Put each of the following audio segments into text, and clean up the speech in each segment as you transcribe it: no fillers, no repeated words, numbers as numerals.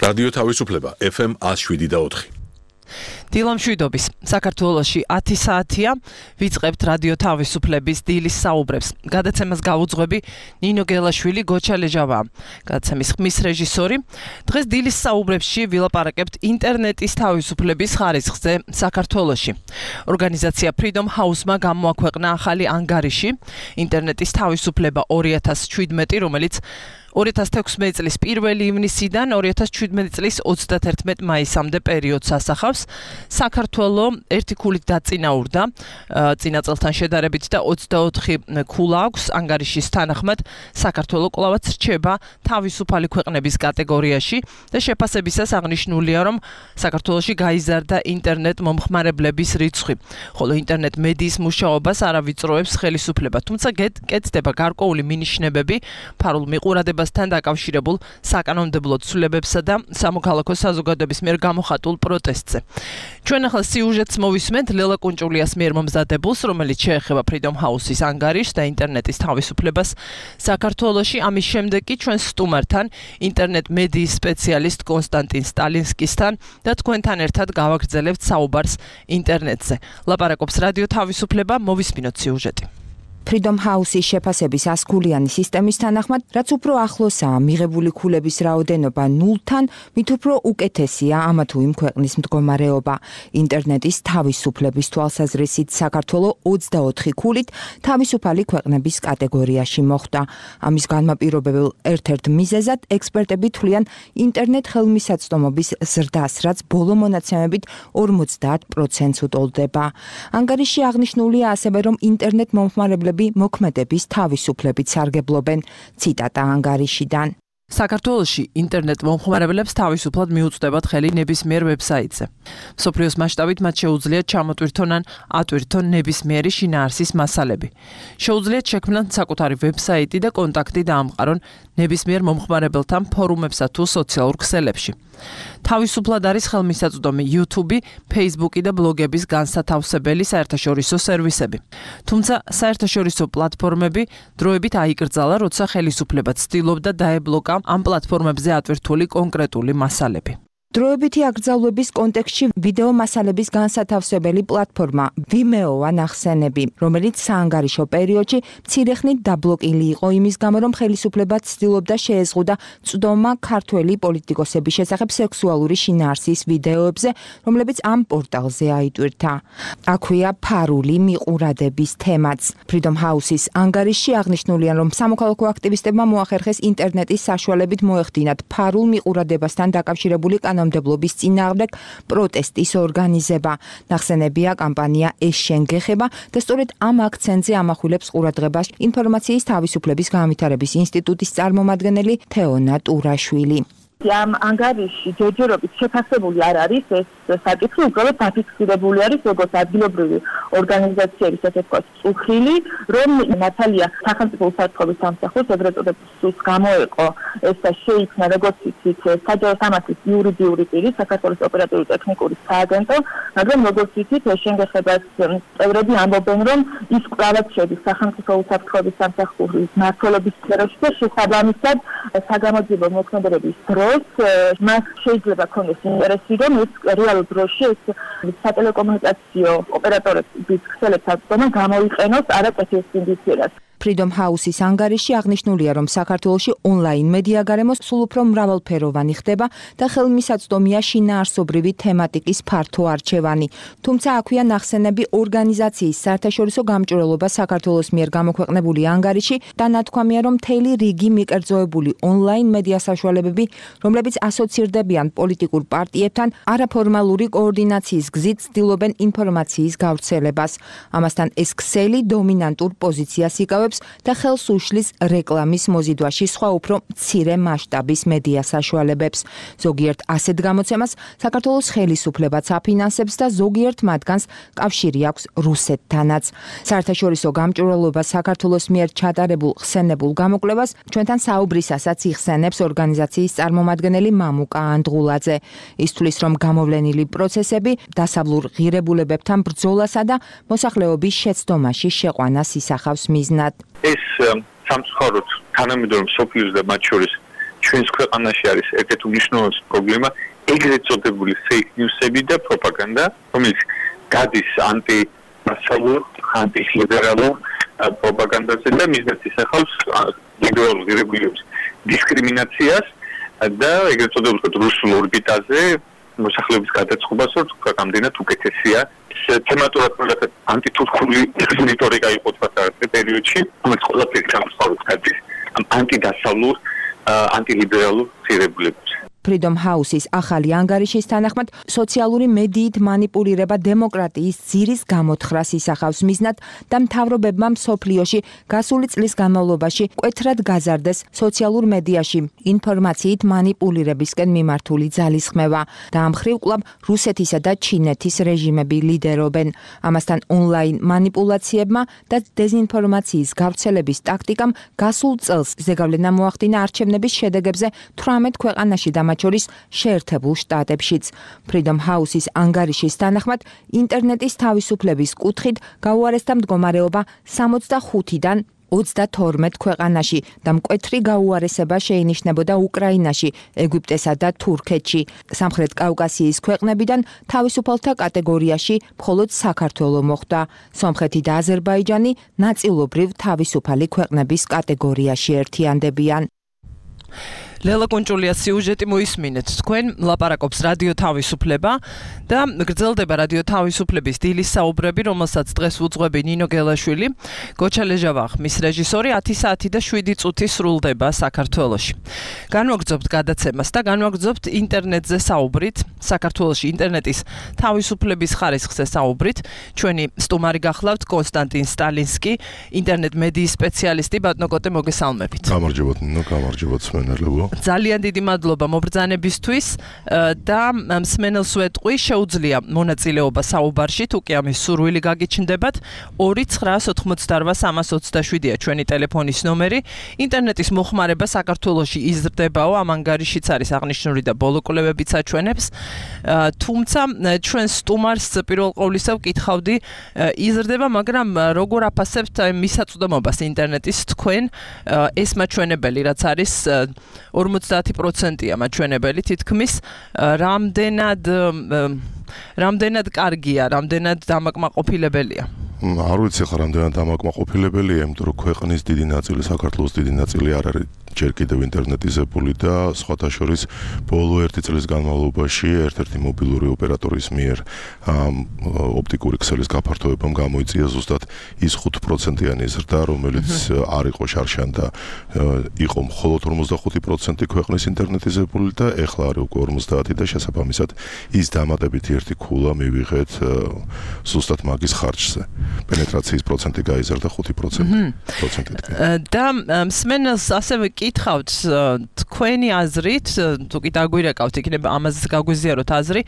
რადიო თავისუფლება FM 107.4. დილამშვიდობის საქართველოში 10 საათია ვიწყებთ რადიო თავისუფლების დილის საუბრებს. გადაცემას გავუძღვები ნინო გელაშვილი, გოჩა ლეჟავა, გადაცემის ხმის რეჟისორი. დღეს დილის საუბრებში ვილაპარაკებთ ინტერნეტის თავისუფლების ხარისხზე საქართველოში. ორგანიზაცია Freedom House-მა გამოაქვეყნა ახალი ანგარიში ინტერნეტის თავისუფლება 2017, რომელიც 2016 წლის 1 ივნისიდან 2017 წლის 31 მაისამდე პერიოდს ასახავს. საქართველო ერთი ქულით დაწინაურდა წინა წელთან შედარებით და 24 ქულა აქვს. ანგარიშის თანახმად საქართველო კვლავაც რჩება თავისუფალი ქვეყნების კატეგორიაში და შეფასებისას აღნიშნულია, რომ საქართველოში გაიზარდა ინტერნეტ მომხმარებლების რიცხვი, ხოლო ინტერნეტ მედიის მუშაობას არ ავიწროებს ხელისუფლება, თუმცა კეთდება გარკვეული მინიშნებები ფარულ მიყურადებას თან დაკავშირებულ საკანონმდებლო ცვლილებებსა და სამოქალაქო საზოგადოების მიერ გამოხატულ პროტესტზე. ჩვენ ახლა სიუჟეტს მოვისმენთ ლელა კუნჭულიას მიერ მომზადებულს, რომელიც შეეხება Freedom House-ის ანგარიშს და ინტერნეტის თავისუფლებას საქართველოში. ამის შემდეგ კი ჩვენ სტუმართან, ინტერნეტ მედიის სპეციალისტ კონსტანტინ სტალინსკისთან და თქვენთან ერთად გავაგრძელებთ საუბარს ინტერნეტზე. ლაპარაკობს რადიო თავისუფლება, მოვისმინოთ სიუჟეტი. Freedom House-ის შეფასების 100-ქულიანი სისტემის თანახმად, რაც უფრო ახლოსაა მიღებული ქულების რაოდენობა 0-თან, მით უფრო უკეთესია ამა თუ იმ ქვეყნის მდგომარეობა. ინტერნეტის თავისუფლების თვალსაზრისით საქართველო 24 ქულით თავისუფალი ქვეყნების კატეგორიაში მოხვდა. ამის განმაპირობებელ ერთ-ერთ მიზეზად ექსპერტები თვლიან ინტერნეტ ხელმისაწვდომობის ზრდას, რაც ბოლო მონაცემებით 50%-ს უტოლდება. ანგარიში აღნიშნულია ასევე, რომ ინტერნეტ მომხმარებლები მოქმედების თავისუფლებით სარგებლობენ. ციტატა ანგარიშიდან. საქართველოში ინტერნეტ მომხმარებლებს თავისუფლად მიუწვდებათ ხელი ნებისმიერ ვებსაიტზე. მსოფლიოს მასშტაბით მათ შეუძლიათ ჩამოტვირთონ ან ატვირთონ ნებისმიერი შინაარსის მასალები. შეუძლიათ შექმნან საკუთარი ვებსაიტი და კონტაქტი დაამყარონ ნებისმიერ მომხმარებელთან ფორუმებსა თუ სოციალურ ქსელებში. თავისუფლად არის ხელმისაწვდომი YouTube, Facebook და ბლოგების განსათავსებელი საერთაშორისო სერვისები. თუმცა საერთაშორისო პლატფორმები დროებით აიკრძალა, როცა ხელისუფლება ცდილობდა დაებლოკა ამ პლატფორმებზე ატვირთული კონკრეტული მასალები. დროებითი აკრძალვების კონტექსტში ვიდეო მასალების განსათავსებელი პლატფორმა Vimeo-ა ნახსენები, რომელიც საანგარიშო პერიოდში მცირეხნით დაბლოკილი იყო იმის გამო, რომ ხელისუფლება ცდილობდა შეეზღუდა წვდომა ქართველი პოლიტიკოსების შესახებ სექსუალური შინაარსის ვიდეოებზე, რომლებიც ამ პორტალზე აიტვირთა. აქვეა ფარული მიყურადების თემაც. Freedom House-ის ანგარიშში აღნიშნულია, რომ სამოქალაქო აქტივისტებმა მოახერხეს ინტერნეტის საშუალებით მოეხდინათ ფარულ მიყურადებასთან დაკავშირებული კანონმდებლობის წინააღმდეგ პროტესტის ორგანიზება. ნახსენებია კამპანია ეს შენ გეხება და სწორედ ამ აქცენტზე ამახვილებს ყურადღებას ინფორმაციის თავისუფლების განვითარების ინსტიტუტის წარმომადგენელი თეონა ტურაშვილი. ამ ანგარიში ჯერჯერობით შეფასებული არ არის ეს საკითხი, უბრალოდ დაფიქსირებული არის როგორც ადგილობრივი ორგანიზაციების ასე ვთქვათ წუხილი, რომ მართალია სახელმწიფო უსაფრთხოების სამსახურს ეგრეთ წოდებულ სულს გამოეყო ეს და შეიქმნა როგორც იცით საჯარო სამართლის იურიდიული პირი საქართველოს ოპერატიული ტექნიკური სააგენტო, მაგრამ როგორც იცით შენგეხებას წევრები ამბობენ, რომ ის კვლავაც შედის სახელმწიფო უსაფრთხოების სამსახურის მმართველობის სფეროში და შესაბამისად საგამოძიებო მოქმედებების მას შეიძლება ქონდეს ინტერესი, რომ ეს რეალურ დროში ეს სატელეკომუნიკაციო ოპერატორების ქსელებსაც გამოიყენოს არაკეთილ სინდისიერად. Freedom House-ის ანგარიში აღნიშნულია, რომ საქართველოში ონლაინ მედია გარემოს სულ უფრო მრავალფეროვანი ხდება და ხელმისაწვდომია შინაარსობრივი თემატიკის ფართო არჩევანი. თუმცა აქვეა ნახსენები ორგანიზაციის საერთაშორისო გამჭვირვალობა საქართველოს მიერ გამოქვეყნებული ანგარიში და ნათქვამია, რომ მთელი რიგი მიკერძოებული ონლაინ მედია საშუალებები, რომლებიც ასოცირდებიან პოლიტიკურ პარტიებთან, არაფორმალური კოორდინაციის გზით ცდილობენ ინფორმაციის გავრცელებას. ამასთან ეს ქსელი დომინანტურ პოზიციას იკავებს და ხელს უშლის რეკლამის მოზიდვაში სხვა უფრო მცირე მასშტაბის მედია საშუალებებს. ზოგიერთ ასეთ გამოცემას საქართველოს ხელისუფლებაც აფინანსებს და ზოგიერთ მათგანს კავშირი აქვს რუსეთთანაც. საერთაშორისო გამჭვირვალობა საქართველოს მიერ ჩატარებულ ხსენებულ გამოკვლევას ჩვენთან საუბრისასაც იხსენებს ორგანიზაციის წარმომადგენელი მამუკა ანდღულაძე. ის თვლის, რომ გამოვლენილი პროცესები დასავლურ ღირებულებებთან ბრძოლასა და მოსახლეობის შეცდომაში შეყვანას ისახავს მიზნად. ეს სამწუხაროდ თანამედროვე მსოფლიოს და მათ შორის ჩვენს ქვეყანაში არის ერთ-ერთი უმნიშვნელოვანესი პრობლემა ეგრეთ წოდებული fake news-ები და პროპაგანდა, რომელიც გადის ანტიმასალურ, ანტილიბერალურ პროპაგანდაზე და მიზნად ისახავს ლიბერალურ რეგულირების დისკრიმინაციას და ეგრეთ წოდებულ რუსულ ორბიტაზე მოსახლეობის გადაწყობას, რომ ქვეყნამდენად უკეთესია. თემატურად მაგათ ანტითურქული რიტორიკა იყო თქვათ პერიოდში, რომელიც ყველაფერი გამოსწორებს გადის ანტიდასავლურ, ანტილიბერალურ ცირებულებს. Freedom House-ის ახალი ანგარიშის თანახმად სოციალური მედიით მანიპულირება დემოკრატიის ძირის გამოთხრას ისახავს მიზნად და მთავრობებმა მსოფლიოში გასული წლის განმავლობაში მკვეთრად გაზარდეს სოციალურ მედიაში ინფორმაციით მანიპულირებისკენ მიმართული ძალისხმევა და ამ მხრივ კვლავ რუსეთისა და ჩინეთის რეჟიმები ლიდერობენ. ამასთან ონლაინ მანიპულაციებმა და დეზინფორმაციის გავრცელების ტაქტიკამ გასულ წელს ზეგავლენა მოახდინა არჩევნების შედეგებზე 18 ქვეყანაში და შორის შეერთებულ შტატებშიც. Freedom House-ის ანგარიშის თანახმად ინტერნეტის თავისუფლების კუთხით გაუარესდა მდგომარეობა 65-დან 32 ქვეყანაში და მკვეთრი გაუარესება შეინიშნებოდა უკრაინაში, ეგვიპტესა და თურქეთში. სამხრეთ კავკასიის ქვეყნებიდან თავისუფალთა კატეგორიაში მხოლოდ საქართველო მოხვდა. სომხეთი და აზერბაიჯანი ნაწილობრივ თავისუფალი ქვეყნების კატეგორიაში ერთიანდებიან. ლელა კონჭულიას სიუჟეტი მოისმინეთ. თქვენ ლაპარაკობს რადიო თავისუფლება და გრძელდება რადიო თავისუფლების დილის საუბრები, რომელსაც დღეს უძღვები ნინო გელაშვილი, გოჩა ლეჟავახ, მის რეჟისორი 10 საათი და 7 წუთი სრულდება საქართველოში. განვაგრძობთ გადაცემას და განვაგრძობთ ინტერნეტზე საუბრით, საქართველოში ინტერნეტის თავისუფლების ხარისხზე საუბრით. ჩვენი სტუმარი გახლავთ კონსტანტინ სტალინსკი, ინტერნეტ მედიის სპეციალისტი. ბატონო კოტე, მოგესალმებით. გამარჯობათ ნინო, გამარჯობათ სმენელებო. ძალიან დიდი მადლობა მობრძანებისთვის და მსმენელს ვეტყვი, შეუძლია მონაწილეობა საუბარში, თუ კი ამის სურვილი გაგიჩნდებათ. 2988327-ია ჩვენი ტელეფონის ნომერი. ინტერნეტის მოხმარება საქართველოში იზრდებაო, ამ ანგარიშიც არის აღნიშნული და ბოლო კვლევებიც აჩვენებს. თუმცა ჩვენ სტუმარს პირველ ყოვლისა ვკითხავდი, იზრდება, მაგრამ როგორ აფასებთ მისაწვდომობას ინტერნეტის თქვენ ეს მაჩვენებელი, რაც არის 50%-ია მაჩვენებელი თითქმის, რამდენად კარგია, რამდენად დამაკმაყოფილებელია? არ ვიცი ხარ რამდენად დამაკმაყოფილებელია, იმიტომ რომ ქვეყნის დიდი ნაწილი, საქართველოს დიდი ნაწილი არ არის ჯერ კიდევ ინტერნეტიზებული და სხვათა შორის ბოლო 1 წლის განმავლობაში ერთ-ერთი მობილური ოპერატორის მიერ ოპტიკური ქსელის გაფართოებამ გამოიწვია ზუსტად ის 5%-იანი ზრდა, რომელიც არ იყო შარშან და იყო მხოლოდ 45% ქვეყნის ინტერნეტიზებული და ეხლა არის უკვე 50 და შესაბამისად ის დამატებითი ერთი ქულა მივიღეთ ზუსტად მაგის ხარჯზე. პენეტრაციის პროცენტი გაიზარდა 5%-ით. და მსმენელს ასევე კითხავთ თქვენი აზრით, თუ კი დაგვირეკავთ, იქნება ამაზე გაგვიზიაროთ აზრი,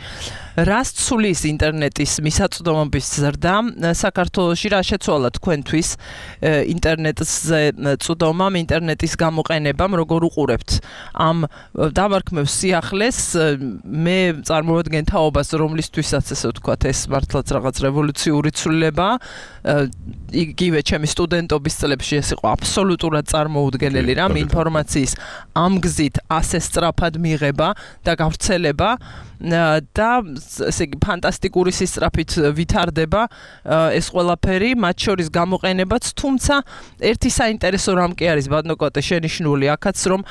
რას ცulis ინტერნეტის მისაწვდომობის ზრდა საქართველოში, რა შეცვალა თქვენთვის ინტერნეტზე წვდომამ, ინტერნეტის გამოყენებამ, როგორ უყურებთ ამ დამარქმევ სიახლეს, მე წარმოვადგენ თაობას, რომლისთვისაც ესე ვთქვათ, ეს მართლაც რაღაც რევოლუციური ცვლილება, იგივე ჩემი სტუდენტობის წლებში ეს იყო აბსოლუტურად წარმოუდგენელი რამ, ინფორმაციის ამ გზით ასე სწრაფად მიღება და გავრცელება და ესე იგი ფანტასტიკური სისწრაფით ვითარდება ეს ყველაფერი, მათ შორის გამოყენებაც, თუმცა ერთი საინტერესო რამ კი არის, ბატონო კოტე, შენიშნული აქაც, რომ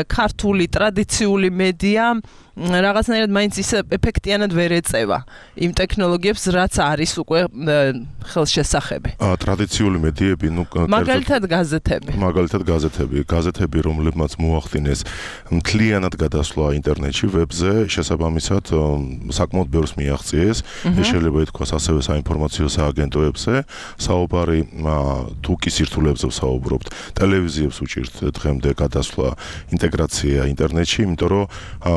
ქართული ტრადიციული მედია რაღაცნაირად მაინც ის ეფექტიანად ვერ ეწევა იმ ტექნოლოგიებს, რაც არის უკვე ხელშესახები. ტრადიციული მედიები, მაგალითად გაზეთები, რომლებმაც მოახდინეს მთლიანად გადასვლა ინტერნეტში, ვებზე, შესაბამისად საკმაოდ ბევრს მიაღწიეს. ეს შეიძლება ითქვას ასევე საინფორმაციო სააგენტოებზე, საუბარი თუ კი სირთულეებზე ვსაუბრობთ, ტელევიზიებს უჭირთ დღემდე გადასვლა, ინტეგრაცია ინტერნეტში, იმიტომ რომ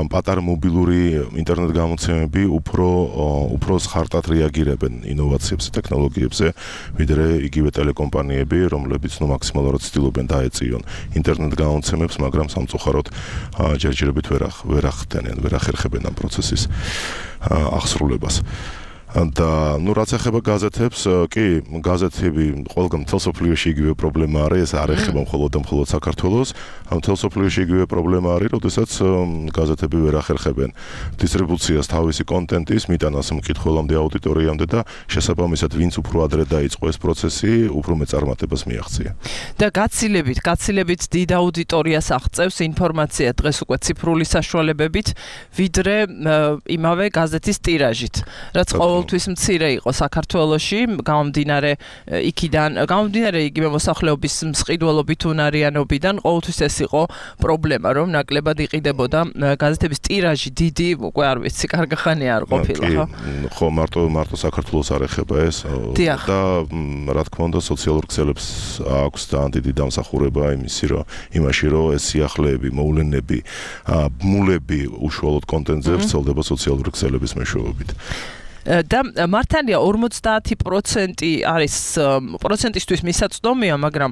პატარა მობილური ინტერნეტ გამოცემები უფრო ხარტად რეაგირებენ ინოვაციებზე, ტექნოლოგიებზე, ვიდრე იგივე ტელეკომპანიები, რომლებიც მაქსიმალურად ცდილობენ დაეწიონ ინტერნეტ გამოცემებს, მაგრამ სამწუხაროდ ჯერჯერობით ვერ ახდენენ, ვერ ახერხებენ ამ პროცესის აღსრულებას. და რაც ეხება გაზეთებს, კი, გაზეთები ყველგან მთელ სოფლიოში იგივე პრობლემა არის, არ ეხება მხოლოდ საქართველოს, მთელ სოფლიოში იგივე პრობლემა არის, როდესაც გაზეთები ვერ ახერხებენ დისტრიბუციას თავისი კონტენტის, მიტანას მკითხველამდე, აუდიტორიამდე და შესაბამისად ვინც უფრო ადრე დაიწყო ეს პროცესი, უფრო მეტ წარმატებას მიაღწია. და გაცილებით დიდ აუდიტორიას აღწევს ინფორმაცია დღეს უკვე ციფრული საშუალებებით, ვიდრე იმავე გაზეთის ტირაჟით, რაც ყოველთვის მცირე იყო საქართველოში, გამომდინარე იგივე მოსახლეობის მსყიდველობით, უნარიანობიდან, ყოველთვის ეს იყო პრობლემა, რომ ნაკლებად იყიდებოდა გაზეთების ტირაჟი დიდი, უკვე არ ვიცი, კარგი ხანი არ ყოფილა, ხო, მარტო საქართველოს არ ეხება ეს და რა თქმა უნდა სოციალურ ქსელებს აქვს ძალიან დიდი დამსახურება იმაში, რომ ეს სიახლეები, მოვლენები, ბმულები უშუალოდ კონტენტზე ვრცელდება სოციალური ქსელების მეშვეობით. და მართალია 50% არის პროცენტისთვის მისაწვდომია, მაგრამ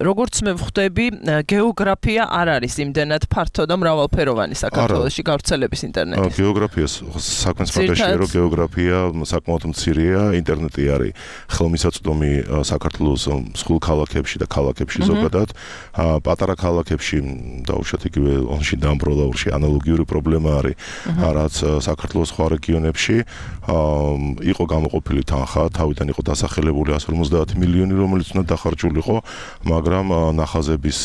როგორც მე ვხვდები, გეოგრაფია არ არის იმდენად ფართო და მრავალფეროვანი საქართველოში გავრცელების ინტერნეტის. გეოგრაფიას საქმეს მაგაშია, რომ გეოგრაფია საკმაოდ მცირეა, ინტერნეტი არის ხელმისაწვდომი საქართველოს მსხვილ ქალაქებში და ქალაქებში ზოგადად. პატარა ქალაქებში დაუშვათ იგივე ონში დამბროლაურში ანალოგიური პრობლემა არის, რაც საქართველოს სხვა რეგიონებში. იყო გამოყოფილი თანხა, თავიდან იყო დასახელებული 150 მილიონი, რომელიც უნდა დახარჯულიყო, მაგრამ ნახაზების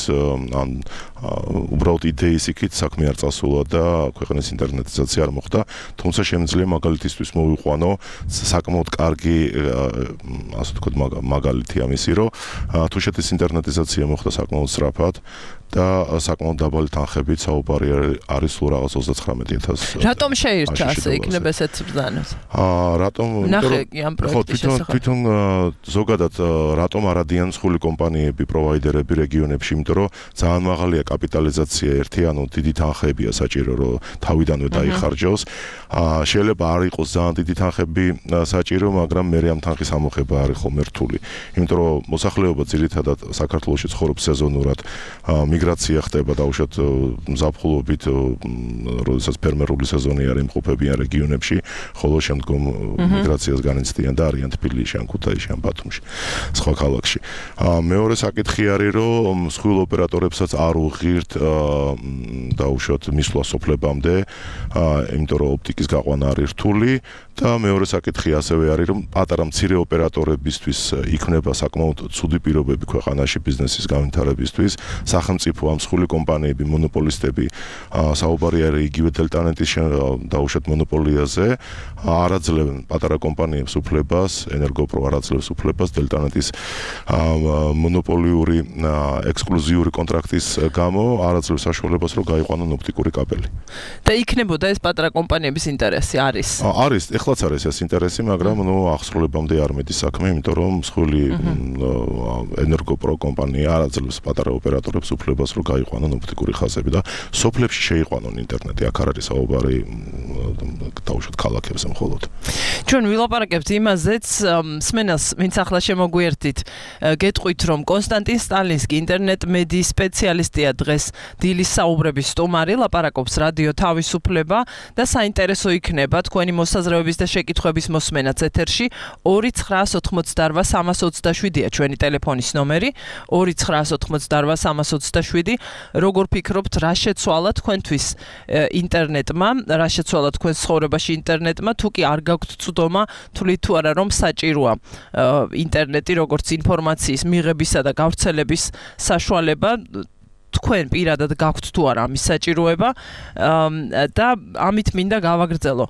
უბრალოდ იდეის იქით საქმე არ წასულა და ქვეყნის ინტერნეტიზაცია არ მოხდა, თუმცა შემიძლია მაგალითისთვის მოვიყვანო საკმაოდ კარგი, ასე ვთქვათ, მაგალითი ამისი, რომ თუშეთის ინტერნეტიზაცია მოხდა საკმაოდ სწრაფად და საკმაოდ დაბალი თანხებით საუბარი არის სულ რაღაც 39,000. რატომ შეირჩა ასე იქნება ესეც ბრძანოს? რატომ? ნახე ამ პროექტის შესახებ. თვითონ ზოგადად რატომ არადიან მსხვილი კომპანიები, პროვაიდერები რეგიონებში, იმიტომ რომ ძალიან მაღალია კაპიტალიზაცია ერთი, ანუ დიდი თანხებია საჭირო, რომ თავიდანვე დაიხარჯოს. შეიძლება არ იყოს ძალიან დიდი თანხები საჭირო, მაგრამ მე ამ თანხის ამოხება არის ხოლმე რთული. იმიტომ რომ მოსახლეობა ძირითადად საქართველოში ცხოვრობს სეზონურად, მიგრაცია ხდება დაუშვათ ზაფხულობით, როდესაც ფერმერული სეზონი არის იმყოფებიან რეგიონებში, ხოლო შემდგომ მიგრაციას განიცდიან და არიან თბილისში, ან ქუთაისში, ან ბათუმში, სხვა ქალაქში. მეორე საკითხი არის, რომ მსხვილ ოპერატორებსაც არ უღირთ დაუშვათ მისვლა სოფლებამდე, იმიტომ რომ ოპტიკის გაყვანა არის რთული და მეორე საკითხი ასევე არის, რომ პატარა მცირე ოპერატორებისთვის იქნება საკმაოდ ცუდი პირობები ქვეყანაში ბიზნესის განვითარებისთვის. სახელმწიფო ამ მსხვილი კომპანიები, მონოპოლისტები, საუბარი არის იგივე დელტანეტის დაუშვათ მონოპოლიაზე, არაძლევენ პატარა კომპანიებს უფლებას, ენერგოპრო არაძლევს უფლებას დელტანეტის მონოპოლიური ექსკლუზიური კონტრაქტის გამო არაძლევს საშუალებას, რომ გაიყვანონ ოპტიკური კაბელი. და იქნებოდა ეს პატარა კომპანიების ინტერესი არის? არის, ეხლაც არის ეს ინტერესი, მაგრამ აღსრულებამდე არ მედის საქმე, იმიტომ რომ მსხვილი ენერგოპრო კომპანია არაძლევს პატარა ოპერატორებს უფლებას, რომ გაიყვანონ ოპტიკური ხაზები და სოფლებში შეიყვანონ ინტერნეტი. აქ არ არის საუბარი დაუშვათ ქალაქებზე მხოლოდ. ჩვენ ვილაპარაკებთ იმაზეც, მსმენელს, ვინც ახლა შემოგვიერთით, გეტყვით, რომ კონსტანტინ სტალინსკი ინტერნეტ მედიის სპეციალისტია დღეს დილის საუბრების სტუმარი, ლაპარაკობს რადიო თავისუფლება და საინტერესო იქნება თქვენი მოსაზრებების და შეკითხვების მოსმენაც ეთერში. 2988327-ია ჩვენი ტელეფონის ნომერი, 2988327. როგორ ფიქრობთ, რა შეცვალა თქვენთვის ინტერნეტმა, რა შეცვალა თქვენს ცხოვრებაში ინტერნეტმა, თუ კი არ გაქვთ ცუდომა, თვლით თუ არა რომ საჭიროა ინტერნეტი როგორც ინფორმაციის მიღებისა და გავრცელების საშუალება, თქვენ პირადად გაქვთ თუ არა ამის საჭიროება და ამით მინდა გავაგრძელო.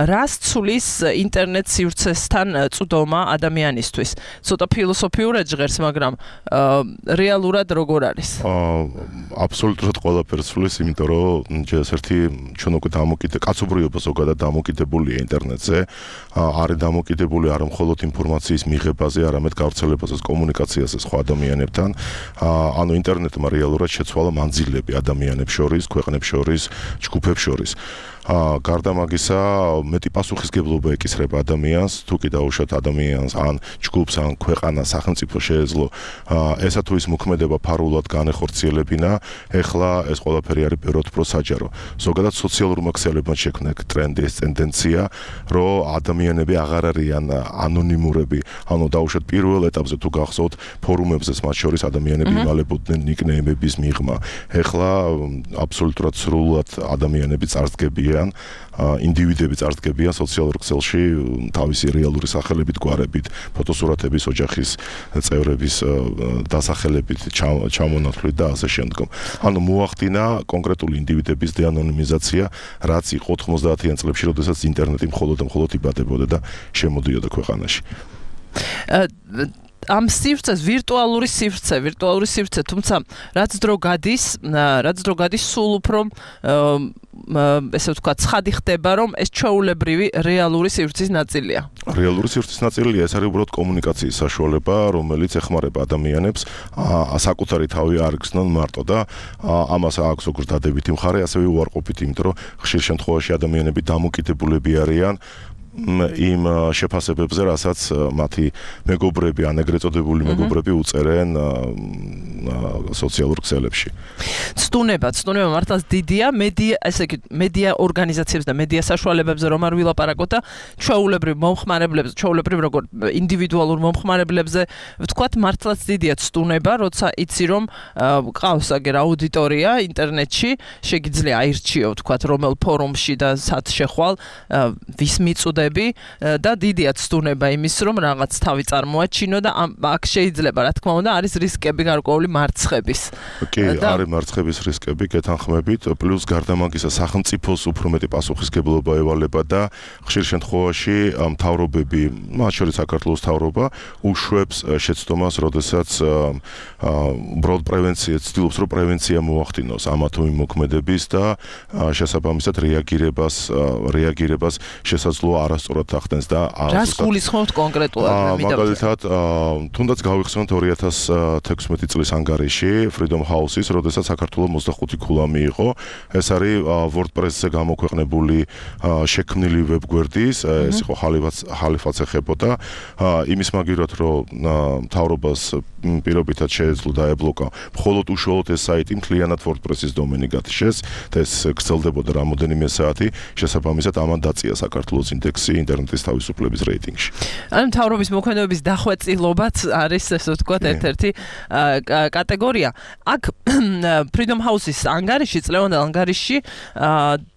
რას ცulis ინტერნეტ სივრცესთან წვდომა ადამიანისთვის? ცოტა ფილოსოფიურად ჟღერს, მაგრამ რეალურად როგორ არის? აბსოლუტურად ყველაფერს ცulis, იმიტომ რომ ჯერსერთი ჩვენ უკვე კაცობრიობა ზოგადად დამოკიდებულია ინტერნეტზე, არის დამოკიდებული არა მხოლოდ ინფორმაციის მიღებაზე, არამედ გავრცელებაზე, კომუნიკაციაზე სხვა ადამიანებთან. ანუ ინტერნეტმა რეალურად შეცვალა მანძილები ადამიანებს შორის, ქვეყნებს შორის, ჯგუფებს შორის. გარდა მაგისა, მეტი პასუხისგებლობა ეკისრება ადამიანს, თუ კი დაუშვათ ადამიანს ან ჯგუფს ან ქვეყანას სახელმწიფო შეეძლო ესა თუ ის მოქმედება ფარულად განეხორციელებინა, ეხლა ეს ყველაფერი არის ბევრად უფრო საჯარო. ზოგადად სოციალურმა ქსელებმა შექმნა ტრენდი, ეს ტენდენცია, რომ ადამიანები აღარ არიან ანონიმურები, ანუ დაუშვათ პირველ ეტაპზე თუ გახსოვთ ფორუმებზეც მათ შორის ადამიანები იმალებოდნენ ნიკნეიმების მიღმა. ეხლა აბსოლუტურად სრულად ადამიანები წარსდგებიან, ინდივიდები წარსდგებიან სოციალურ ქსელში თავისი რეალური სახელებით, გვარებით, ფოტოსურათების, ოჯახის წევრების დასახელებით, ჩამონათვლით და ასე შემდგომ. ანუ მოახდინა კონკრეტული ინდივიდების დეანონიმიზაცია, რაც იყო 90-იან წლებში, როდესაც ინტერნეტი მხოლოდ იბადებოდა და შემოდიოდა ქვეყანაში. ამ სივრცეს ვირტუალური სივრცე, თუმცა რაც დრო გადის, სულ უფრო ესე ვთქვათ, ცხადი ხდება, რომ ეს ჩვეულებრივი რეალური სივრცის ნაწილია. რეალური სივრცის ნაწილია, ეს არის უბრალოდ კომუნიკაციის საშუალება, რომელიც ეხმარება ადამიანებს საკუთარი თავი არ გრძნონ მარტო და ამას აქვს როგორც დადებითი მხარე, ასევე უარყოფითი, იმიტომ რომ ხშირ შემთხვევაში ადამიანები დამოკიდებულები არიან იმ შეფასებებზე, რასაც მათი მეგობრები ან ეგრეთ წოდებული მეგობრები უწერენ სოციალურ ქსელებში. ცდუნება მართლაც დიდია, მედია ორგანიზაციებს და მედია საშუალებებზე რომ არ ვილაპარაკოთ და ჩვეულებრივ როგორ ინდივიდუალურ მომხმარებლებზე ვთქვათ, მართლაც დიდია ცდუნება, როცა იცი რომ ყავს აგერ აუდიტორია ინტერნეტში, შეგიძლია აირჩიო ვთქვათ, რომელ ფორუმში და სად შეხვალ, ვის მიწუდა და დიდია ცდუნება იმის, რომ რაღაც თავი წარმოაჩინო და აქ შეიძლება, რა თქმა უნდა, არის რისკები გარკვეული მარცხების. კი, არის მარცხების რისკები, გეთანხმებით, პლუს გარდა მაგისა სახელმწიფოს უფრო მეტი პასუხისგებლობა ევალება და ხშირ შემთხვევაში მთავრობები, მათ შორის საქართველოს მთავრობა, უშვებს შეცდომას, როდესაც უბრალოდ ცდილობს, რომ პრევენცია მოახდინოს ამა თუ იმ მოქმედების და შესაბამისად რეაგირებას შესაძლო არასწორად ახდენს და რას გულისხმობთ კონკრეტულად? მაგალითად, თუნდაც გავიხსენოთ 2016 წლის ანგარიში Freedom House-ის, როდესაც საქართველოს 25 ქულამი იყო. ეს არის WordPress-ზე გამოქვეყნებული შექმნილი ვებგვერდის, ეს იყო ხალიფაც ეხებოდა. იმის მაგივრად, რომ მთავრობას პირობითად შეეძლო დაებლოკა მხოლოდ უშუალოდ ეს საიტი, მთლიანად WordPress-ის დომენი გათიშეს და ეს გრძელდებოდა რამოდენიმე საათი, შესაბამისად ამან დაწია საქართველოს ინდექსი ინტერნეტის თავისუფლების რეიტინგში. ანუ მთავრობის მოქმედებების დახვეწილობაც არის, ესე ვთქვათ, ერთ-ერთი კატეგორია. აქ Freedom House-ის ანგარიში, წლევანდელ ანგარიში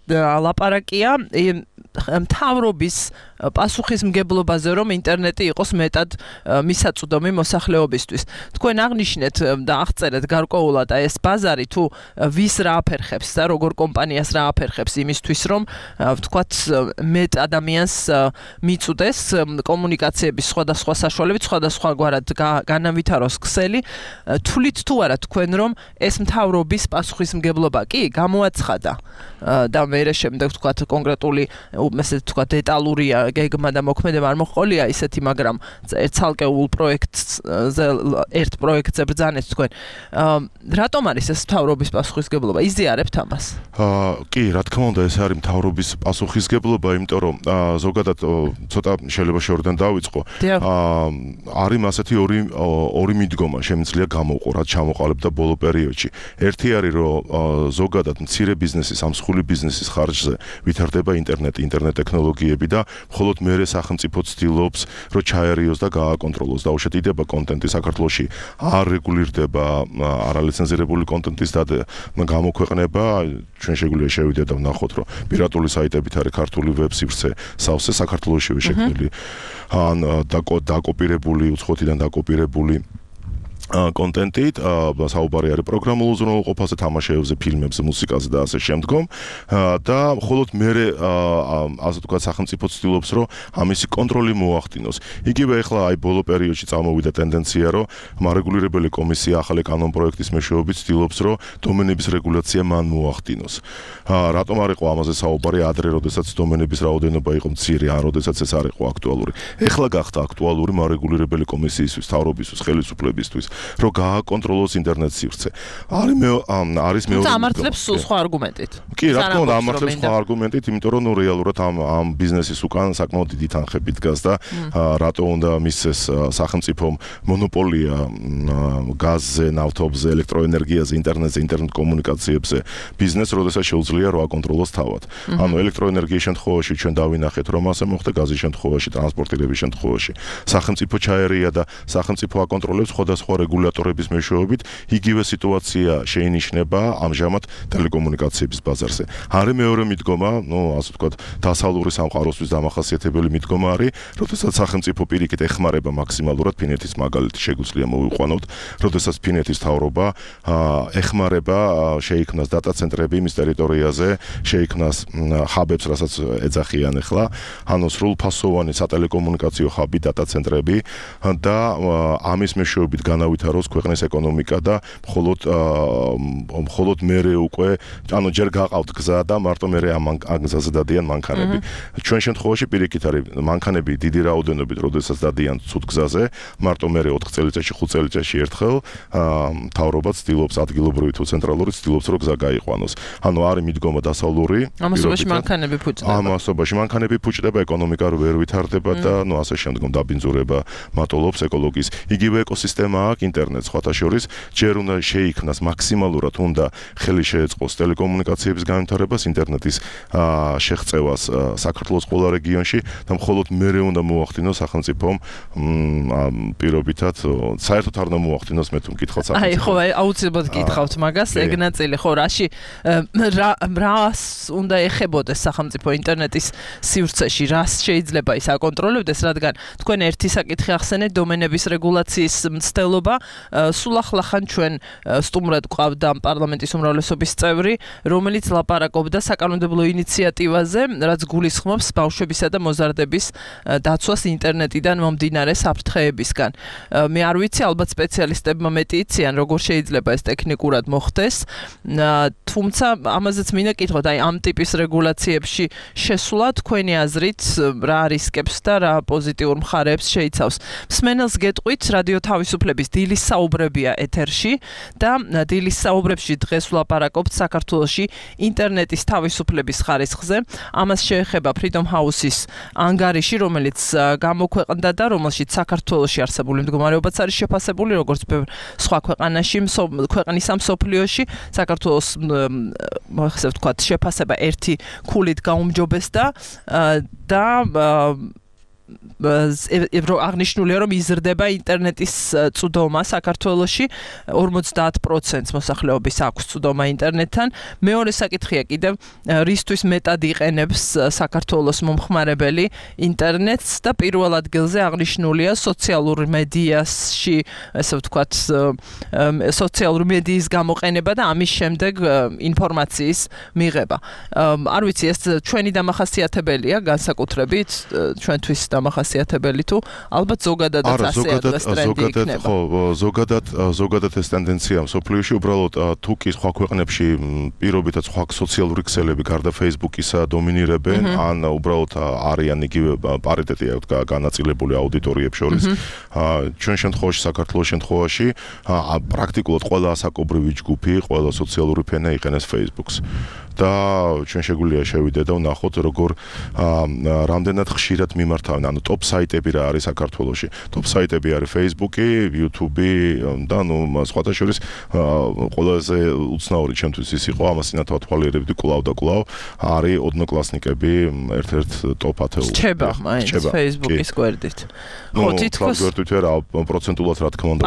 ლაპარაკია მთავრობის პასუხისმგებლობაზე, რომ ინტერნეტი იყოს მეტად მისაწვდომი მოსახლეობისთვის. თქვენ აღნიშნეთ და აღწერეთ გარკვეულად ეს ბაზარი თუ ვის რა აფერხებს და როგორ კომპანიას რა აფერხებს იმისთვის, რომ ვთქვათ მეტ ადამიანს მიწუდეს კომუნიკაციების სხვადასხვა საშუალებით, სხვადასხვაგვარად განავითაროს ქსელი. თვლით თუ არა თქვენ, რომ ეს მთავრობის პასუხისმგებლობა კი გამოაცხადა და მერე შემდეგ ვთქვათ კონკრეტული ესე ვთქვათ დეტალურია გეგმა და მოქმედება არ მოყოლია ისეთი, მაგრამ ცალკეულ ერთ პროექტზე ბრძანეთ თქვენ. რატომ არის ეს მთავრობის პასუხისგებლობა? იზიარებთ ამას? კი, რა თქმა უნდა, ეს არის მთავრობის პასუხისგებლობა, იმიტომ რომ ზოგადად ცოტა შეიძლება შორიდან დავიწყო. არის ასეთი ორი მიდგომა შემიძლია გამოვყო, რაც ჩამოყალიბდა ბოლო პერიოდში. ერთი არის, რომ ზოგადად მცირე ბიზნესის, ამსხული ბიზნესის ხარჯზე ვითარდება ინტერნეტ ტექნოლოგიები და მხოლოდ მერე სახელმწიფო ცდილობს, რომ ჩაერიოს და გააკონტროლოს. დაუშვებიდება კონტენტი საქართველოში არ რეგულირდება არალიცენზირებული კონტენტის გამოქვეყნება. ჩვენ შეგვიძლია შევიდეთ და ვნახოთ, რომ პირატული საიტებით არის ქართული ვებ-სივრცე სავსე საქართველოშივე შექმნილი ან დაკოპირებული, უცხოეთიდან დაკოპირებული კონტენტით, საუბარი არის პროგრამულ უზრუნველყოფაზე, თამაშებზე, ფილმებზე, მუსიკაზე და ასე შემდგომ. და მხოლოდ მერე ასე ვთქვათ სახელმწიფო ცდილობს, რომ ამისი კონტროლი მოახდინოს. იგივე ახლა აი ბოლო პერიოდში წამოვიდა ტენდენცია, რომ მარეგულირებელი კომისია ახალი კანონ პროექტის მეშვეობით ცდილობს, რომ დომენების რეგულაცია მან მოახდინოს. რატომ არ იყო ამაზე საუბარი ადრე, როდესაც დომენების რაოდენობა იყო მცირე, ან როდესაც ეს არ იყო აქტუალური. ეხლა გახდა აქტუალური მარეგულირებელი კომისიისთვის, მთავრობისთვის, ხელისუფლებისთვის. რომ გააკონტროლოს ინტერნეტ სივრცე. არის მეორე ამართლებს სხვა არგუმენტით. კი, რა თქმა უნდა, ამართლებს სხვა არგუმენტით, იმიტომ რომ რეალურად ამ ბიზნესის უკან საკმაოდ დიდი თანხები დგას და რატო უნდა მისცეს სახელმწიფომ მონოპოლია გაზზე, ნავთობზე, ელექტროენერგიაზე, ინტერნეტზე, ინტერნეტ კომუნიკაციებზე ბიზნეს, როდესაც შეუძლია რომ აკონტროლოს თავად. ანუ ელექტროენერგიის შემთხვევაში ჩვენ დავინახეთ, რომ ასე მოხდა, გაზის შემთხვევაში, ტრანსპორტირების შემთხვევაში. სახელმწიფო ჩაერია და სახელმწიფო აკონტროლებს სხვადასხვა რეგულატორების მეშვეობით, იგივე სიტუაცია შეინიშნება ამჟამად ტელეკომუნიკაციების ბაზარზე. არის მეორე მიდგომა, ასე ვთქვათ, დასავლური სამყაროსთვის დამახასიათებელი მიდგომა არის, როდესაც სახელმწიფო პირიქით ეხმარება მაქსიმალურად ფინეთის მაგალითი შეგვიძლია მოვიყვანოთ, როდესაც ფინეთის მთავრობა ეხმარება შეიქმნას დატა ცენტრები მის ტერიტორიაზე, შეიქმნას ჰაბებს, რასაც ეძახიან ახლა, ანუ სრულფასოვანი სატელეკომუნიკაციო ჰაბი დატა ცენტრები და ამის მეშვეობით განავითაროს ქვეყნის ეკონომიკა და მხოლოდ მერე უკვე, ანუ ჯერ გაყავთ გზა და მარტო მერე ამ გზაზე დადიან მანქანები. ჩვენ შემთხვევაში პირიქით არის მანქანები დიდი რაოდენობით, როდესაც დადიან ცუდ გზაზე, მარტო მერე 4 წელიწადში, 5 წელიწადში ერთხელ მთავრობა ცდილობს ადგილობრივი თუ ცენტრალური ცდილობს რომ გზა გაიყვანოს. ანუ არის მიდგომა დასავლური. ამასობაში მანქანები ფუჭდება. ამასობაში მანქანები ფუჭდება, ეკონომიკა ვერ ვითარდება და ასე შემდგომ დაბინძურება მატულობს ეკოლოგიის. იგივე ეკოსისტემა აქვს ინტერნეტს სხვათა შორის, ჯერ უნდა შეიქმნას მაქსიმალურად უნდა ხელი შეეწყოს ტელეკომუნიკაციების განვითარებას, ინტერნეტის შეღწევას საქართველოს ყველა რეგიონში და მხოლოდ მერე უნდა მოახდინოს სახელმწიფომ პირობითად საერთოდ არ უნდა მოახდინოს მე თუ მკითხავთ სახელმწიფომ. ხო, აუცილებლად გითხავთ მაგას, ეგ ნაწილი ხო, რას უნდა ეხებოდეს სახელმწიფო ინტერნეტის სივრცეში, რას შეიძლება ის აკონტროლებდეს, რადგან თქვენ ერთი საკითხი ახსენეთ, დომენების რეგულაციის მცდელობა, სულ ახლახან ჩვენ სტუმრად გვყავდა პარლამენტის უმრავლესობის წევრი, რომელიც ლაპარაკობდა საკანონმდებლო ინიციატივაზე, რაც გულისხმობს ბავშვებისა და მოზარდების დაცვას ინტერნეტიდან მომდინარე საფრთხეებისგან. მე არ ვიცი, ალბათ სპეციალისტებმა მეტი იციან, როგორ შეიძლება ეს ტექნიკურად მოხდეს, თუმცა ამაზეც მინდა კითხოთ, აი ამ ტიპის რეგულაციებში შესვლა თქვენი აზრით რა რისკებს და რა პოზიტიურ მხარეებს შეიცავს. მსმენელს გეტყვით, რადიო თავისუფლების დილის საუბრებია ეთერში და დილის საუბრებში დღეს ვლაპარაკობთ საქართველოში ინტერნეტის თავისუფლების ხარისხზე. ამას შეეხება Freedom House-ის ანგარიში, რომელიც გამოქვეყნდა და რომელშიც საქართველოში არსებული მდგომარეობაც არის შეფასებული, როგორც სხვა ქვეყანაში, ქვეყნის ამ მსოფლიოში. საქართველოს ასე ვთქვათ, შეფასება 1 ქულით გაუმჯობესდა და აღნიშნულია, რომ იზრდება ინტერნეტის წვდომა საქართველოში, 50% მოსახლეობის აქვს წვდომა ინტერნეტთან. მეორე საკითხია კიდევ, რისთვის მეტად იყენებს საქართველოს მომხმარებელი ინტერნეტს და პირველ ადგილზე აღნიშნულია სოციალურ მედიაში, ასე ვთქვათ, სოციალური მედიის გამოყენება და ამის შემდეგ ინფორმაციის მიღება. არ ვიცი, ეს ჩვენი დამახასიათებელია განსაკუთრებით, ჩვენთვის დამახასიათებელი თუ ალბათ ზოგადადაც ასე არის ტრენდი იქნება. ხო, ზოგადად ეს ტენდენცია მსოფლიოში, უბრალოდ თუ კი სხვა ქვეყნებში პირობითად სხვა სოციალური ქსელები გარდა Facebook-ისა დომინირებენ, ან უბრალოდ არიან იგივე პარიტეტი აქვს განაწილებული აუდიტორიებს შორის. ჩვენ შემთხვევაში, საქართველოს შემთხვევაში, პრაქტიკულად ყველა ასაკობრივი ჯგუფი, ყველა სოციალური ფენა იყენებს Facebook-ს. და ჩვენ შეგვიძლია შევიდე და ვნახოთ როგორ რამდენად ხშირად მიმართავენ, ანუ ტოპ საიტები რა არის საქართველოში. ტოპ საიტები არის Facebook-ი, YouTube-ი და სხვათა შორის ყველაზე უცნაური ჩემთვის ის იყო, ამას წინათ ვათვალიერებდი კვლავ და კვლავ არის ოდნოკლასნიკები ერთ-ერთ ტოპ 10-ში. რჩება მაინც Facebook-ის გვერდით. ხო, თითქოს გვერდით არა, პროცენტულად რა თქმა უნდა.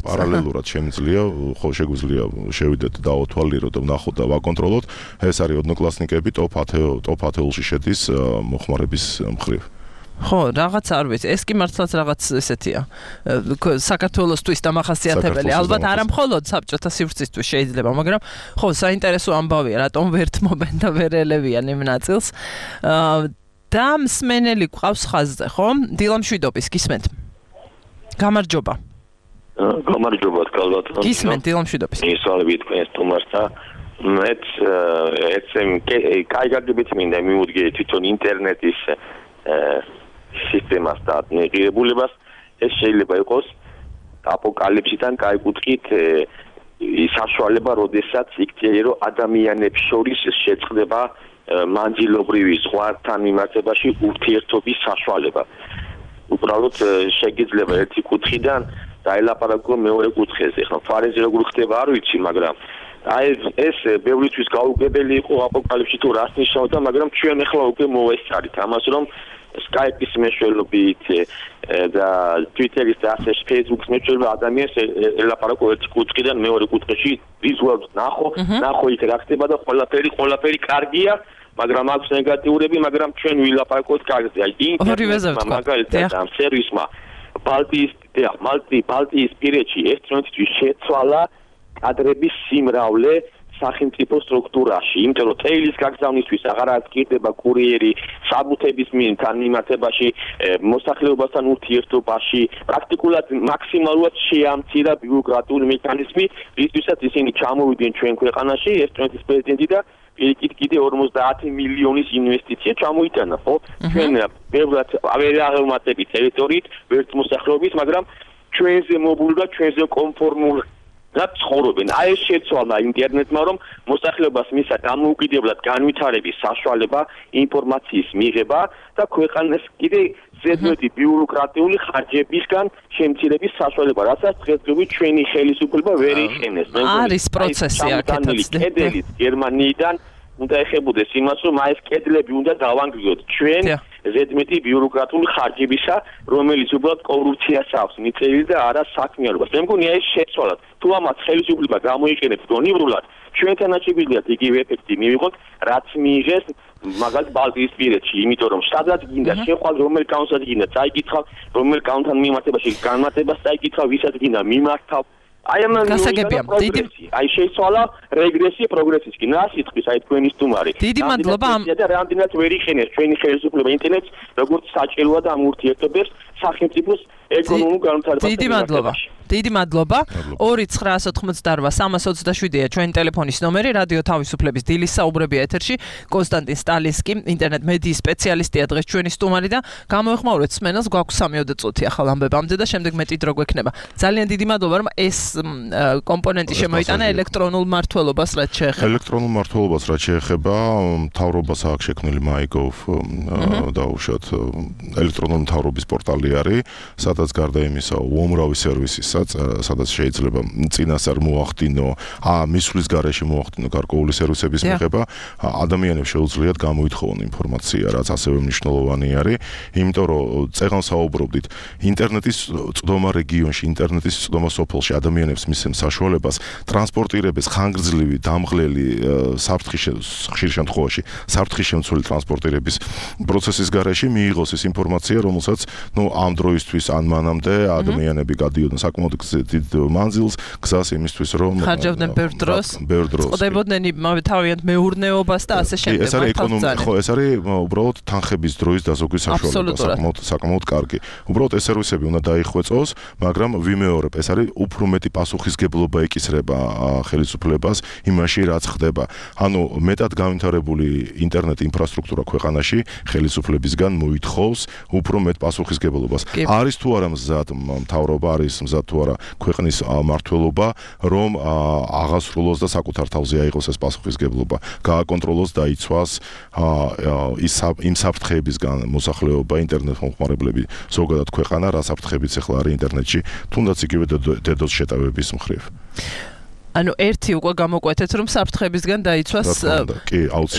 პარალელურად შემიძლია, ხო შეგვიძლია შევიდეთ და ავთვალიეროთ და ვნახოთ და ვაკონტროლოთ. ეს არის ოდნოკლასნიკები ტოპ 10-ში შედის მოხმარების მხრივ. ხო, რაღაც არ ვიცი, ეს კი მართლაც რაღაც ესეთია. საქართველოსთვის დამახასიათებელი, ალბათ არა მხოლოდ საბჭოთა სივრცისთვის შეიძლება, მაგრამ ხო, საინტერესო ამბავია, რატომ ვერ თმობენ და ვერ ელევიან იმ ნაწილს. და მსმენელი გვყავს ხაზზე, ხო? დილამშვიდობის, გისმენთ. გამარჯობა. გამარჯობა, კალბატონო. გისმენთ, დილამშვიდობის. ისვალები თქვენ სტუმართა მეც კაიგარდებით მინდა მივუდგე თვითონ ინტერნეტის სისტემას და მიღებულებას ეს შეიძლება იყოს აპოკალიფსიდან გაიგუთხით საშუალება, როდესაც იქცია, რომ ადამიანებს შორის შეწყდება მანძილობრივი ზღვართან მიმართებაში ურთიერთობის საშუალება. უბრალოდ შეგიძლება ერთი კუთხიდან დაელაპარაკო მეორე კუთხეზე. ხო, ფარეზი როგორ ხდება არ ვიცი, მაგრამ აი ეს ბევრისთვის გაუგებელი იყო აპოკალიფსში თუ რას ნიშნავდა, მაგრამ ჩვენ ახლა უკვე მოვესწარით ამას, რომ Skype-ის მეშვეობით და Twitter-ის და ასე Facebook-ის მეშვეობით ადამიანს ელაპარაკო ერთი კუთხიდან მეორე კუთხეში ვიზუალურად ნახო იქ რა ხდება და ყველაფერი კარგია, მაგრამ აქვს ნეგატიურები, მაგრამ ჩვენ ვილაპარაკოთ კარგზე. აი ინტერნეტმა მაგალითად ამ სერვისმა ბალტიის პირეთში ერთმანეთთვის შეცვალა კადრების სიმრავლე სახელმწიფო სტრუქტურაში, იმიტომ რომ თეილის გაგზავნისთვის აღარ აღჭირდება კურიერი, საბუთების მიმართებაში, მოსახლეობასთან ურთიერთობაში, პრაქტიკულად მაქსიმალურად შეამცირა ბიუროკრატიული მექანიზმი, რისთვისაც ისინი ჩამოვიდნენ ჩვენ ქვეყანაში, ერთმანეთის პრეზიდენტი და კიდე 50 მილიონის ინვესტიცია ჩამოიტანა, ხო? ჩვენ ბევრად ვერ აღემატებით ტერიტორიით, ვერც მოსახლეობის, მაგრამ ჩვენზე მობული და ჩვენზე კონფორმული და ცხოვრობენ. აი ეს შეცვალა ინტერნეტმა, რომ მოსახლეობას მისცა დამოუკიდებლად განვითარების საშუალება, ინფორმაციის მიღება და ქვეყანას კიდე ზედმეტი ბიუროკრატიული ხარჯებისგან შემცირების საშუალება, რასაც დღესდღეობით ჩვენი ხელისუფლება ვერ იხენებს. არის პროცესი აქეთაც. კედლით გერმანიიდან უნდა ეხებოდეს იმას, რომ აი ეს კედლები უნდა დავანგრიოთ ჩვენ ზედმეტი ბიუროკრატიული ხარჯებისა, რომელიც უბრალოდ კორუფციას აქვს მიწევილი და არა საქმიანობას. მე მგონია ეს შეცვალათ. თუ ამას ხელისუფლება გამოიყენებს გონივრულად, ჩვენთანაც შეგვიძლია იგივე ეფექტი მივიღოთ, რაც მიიღეს მაგალითად ბალტიისპირეთში, იმიტომ რომ სადაც გინდა შეხვალ რომელ კანონსაც გინდა წაიკითხავ, რომელ კანონთან მიმართებაში განმარტებას წაიკითხავ, ვისაც გინდა მიმართავ. აი ამ გასაგებია. აი შეიცვალა რეგრესია პროგრესისკენ. რა სიტყვის აი თქვენი სტუმარი. დიდი მადლობა ამ და რამდენად ვერ იხენებს ჩვენი ხელისუფლება ინტერნეტს, როგორც საჭიროა და ამ ურთიერთობებს სახელმწიფოს ეკონომიკურ განვითარებას. დიდი მადლობა. 2-988-327-ია ჩვენი ტელეფონის ნომერი, რადიო თავისუფლების დილის საუბრები ეთერში. კონსტანტინ სტალინსკი, ინტერნეტ მედიის სპეციალისტია დღეს ჩვენი სტუმარი და გამოეხმაურეთ სმენელს, გვაქვს 3 წუთი ახალ ამბებამდე და შემდეგ მეტი დრო გვექნება. ძალიან დიდი მადლობა, რომ ეს კომპონენტი შემოიტანა ელექტრონულ მმართველობას, რაც შეეხება. ელექტრონულ მმართველობას რაც შეეხება, მთავრობას აქვს შექმნილი MyGov დაუშვათ ელექტრონული მთავრობის პორტალი არის, სადაც გარდა იმისა, უამრავი სერვისის სადაც შეიძლება წინასწარ მოახდინო, მისვლის გარეშე მოახდინო გარკვეული სერვისების მიღება, ადამიანებს შეუძლიათ გამოითხოვონ ინფორმაცია, რაც ასევე მნიშვნელოვანი არის, იმიტომ რომ წეგან საუბრობდით, ინტერნეტის წვდომა რეგიონში, ინტერნეტის წვდომა სოფელში ადამიანებს მისცემს საშუალებას ტრანსპორტირების ხანგრძლივი, დამღლელი ხშირ შემთხვევაში საფრთხის შემცველი ტრანსპორტირების პროცესის გარეშე მიიღოს ეს ინფორმაცია, რომელსაც ამ დროისთვის ან მანამდე ადამიანები გადიოდნენ საკმაოდ დიდ მანძილს, გზას იმისთვის, რომ ხარჯავდნენ ბევრ დროს, წყდებოდნენ იმავე თავიანთ მეურნეობას და ასე შემდეგ. ეს არის ეკონომიკა, ხო, ეს არის უბრალოდ თანხების დროის დაზოგვის საშუალება, საკმაოდ კარგი. უბრალოდ ეს სერვისები უნდა დაიხვეწოს, მაგრამ ვიმეორებ, ეს არის უფრო მეტი პასუხისგებლობა ეკისრება ხელისუფლებას იმაში, რაც ხდება. ანუ მეტად განვითარებული ინტერნეტ ინფრასტრუქტურა ქვეყანაში ხელისუფლებისგან მოითხოვს უფრო მეტ პასუხისგებლობას. არის თუ არა მზად მთავრობა, არის მზად თუ არა ქვეყნის მმართველობა, რომ აღასრულოს და საკუთარ თავზე აიღოს ეს პასუხისგებლობა, გააკონტროლოს და იცვას იმ საფრთხეებისგან მოსახლეობა, ინტერნეტ მომხმარებლები, ზოგადად ქვეყანა, რა საფრთხებიც ახლა არის ინტერნეტში, თუნდაც იგივე DDoS შეტევების მხრივ. ანუ ერთი უკვე გამოკვეთეთ, რომ საფრთხებისგან დაიცვას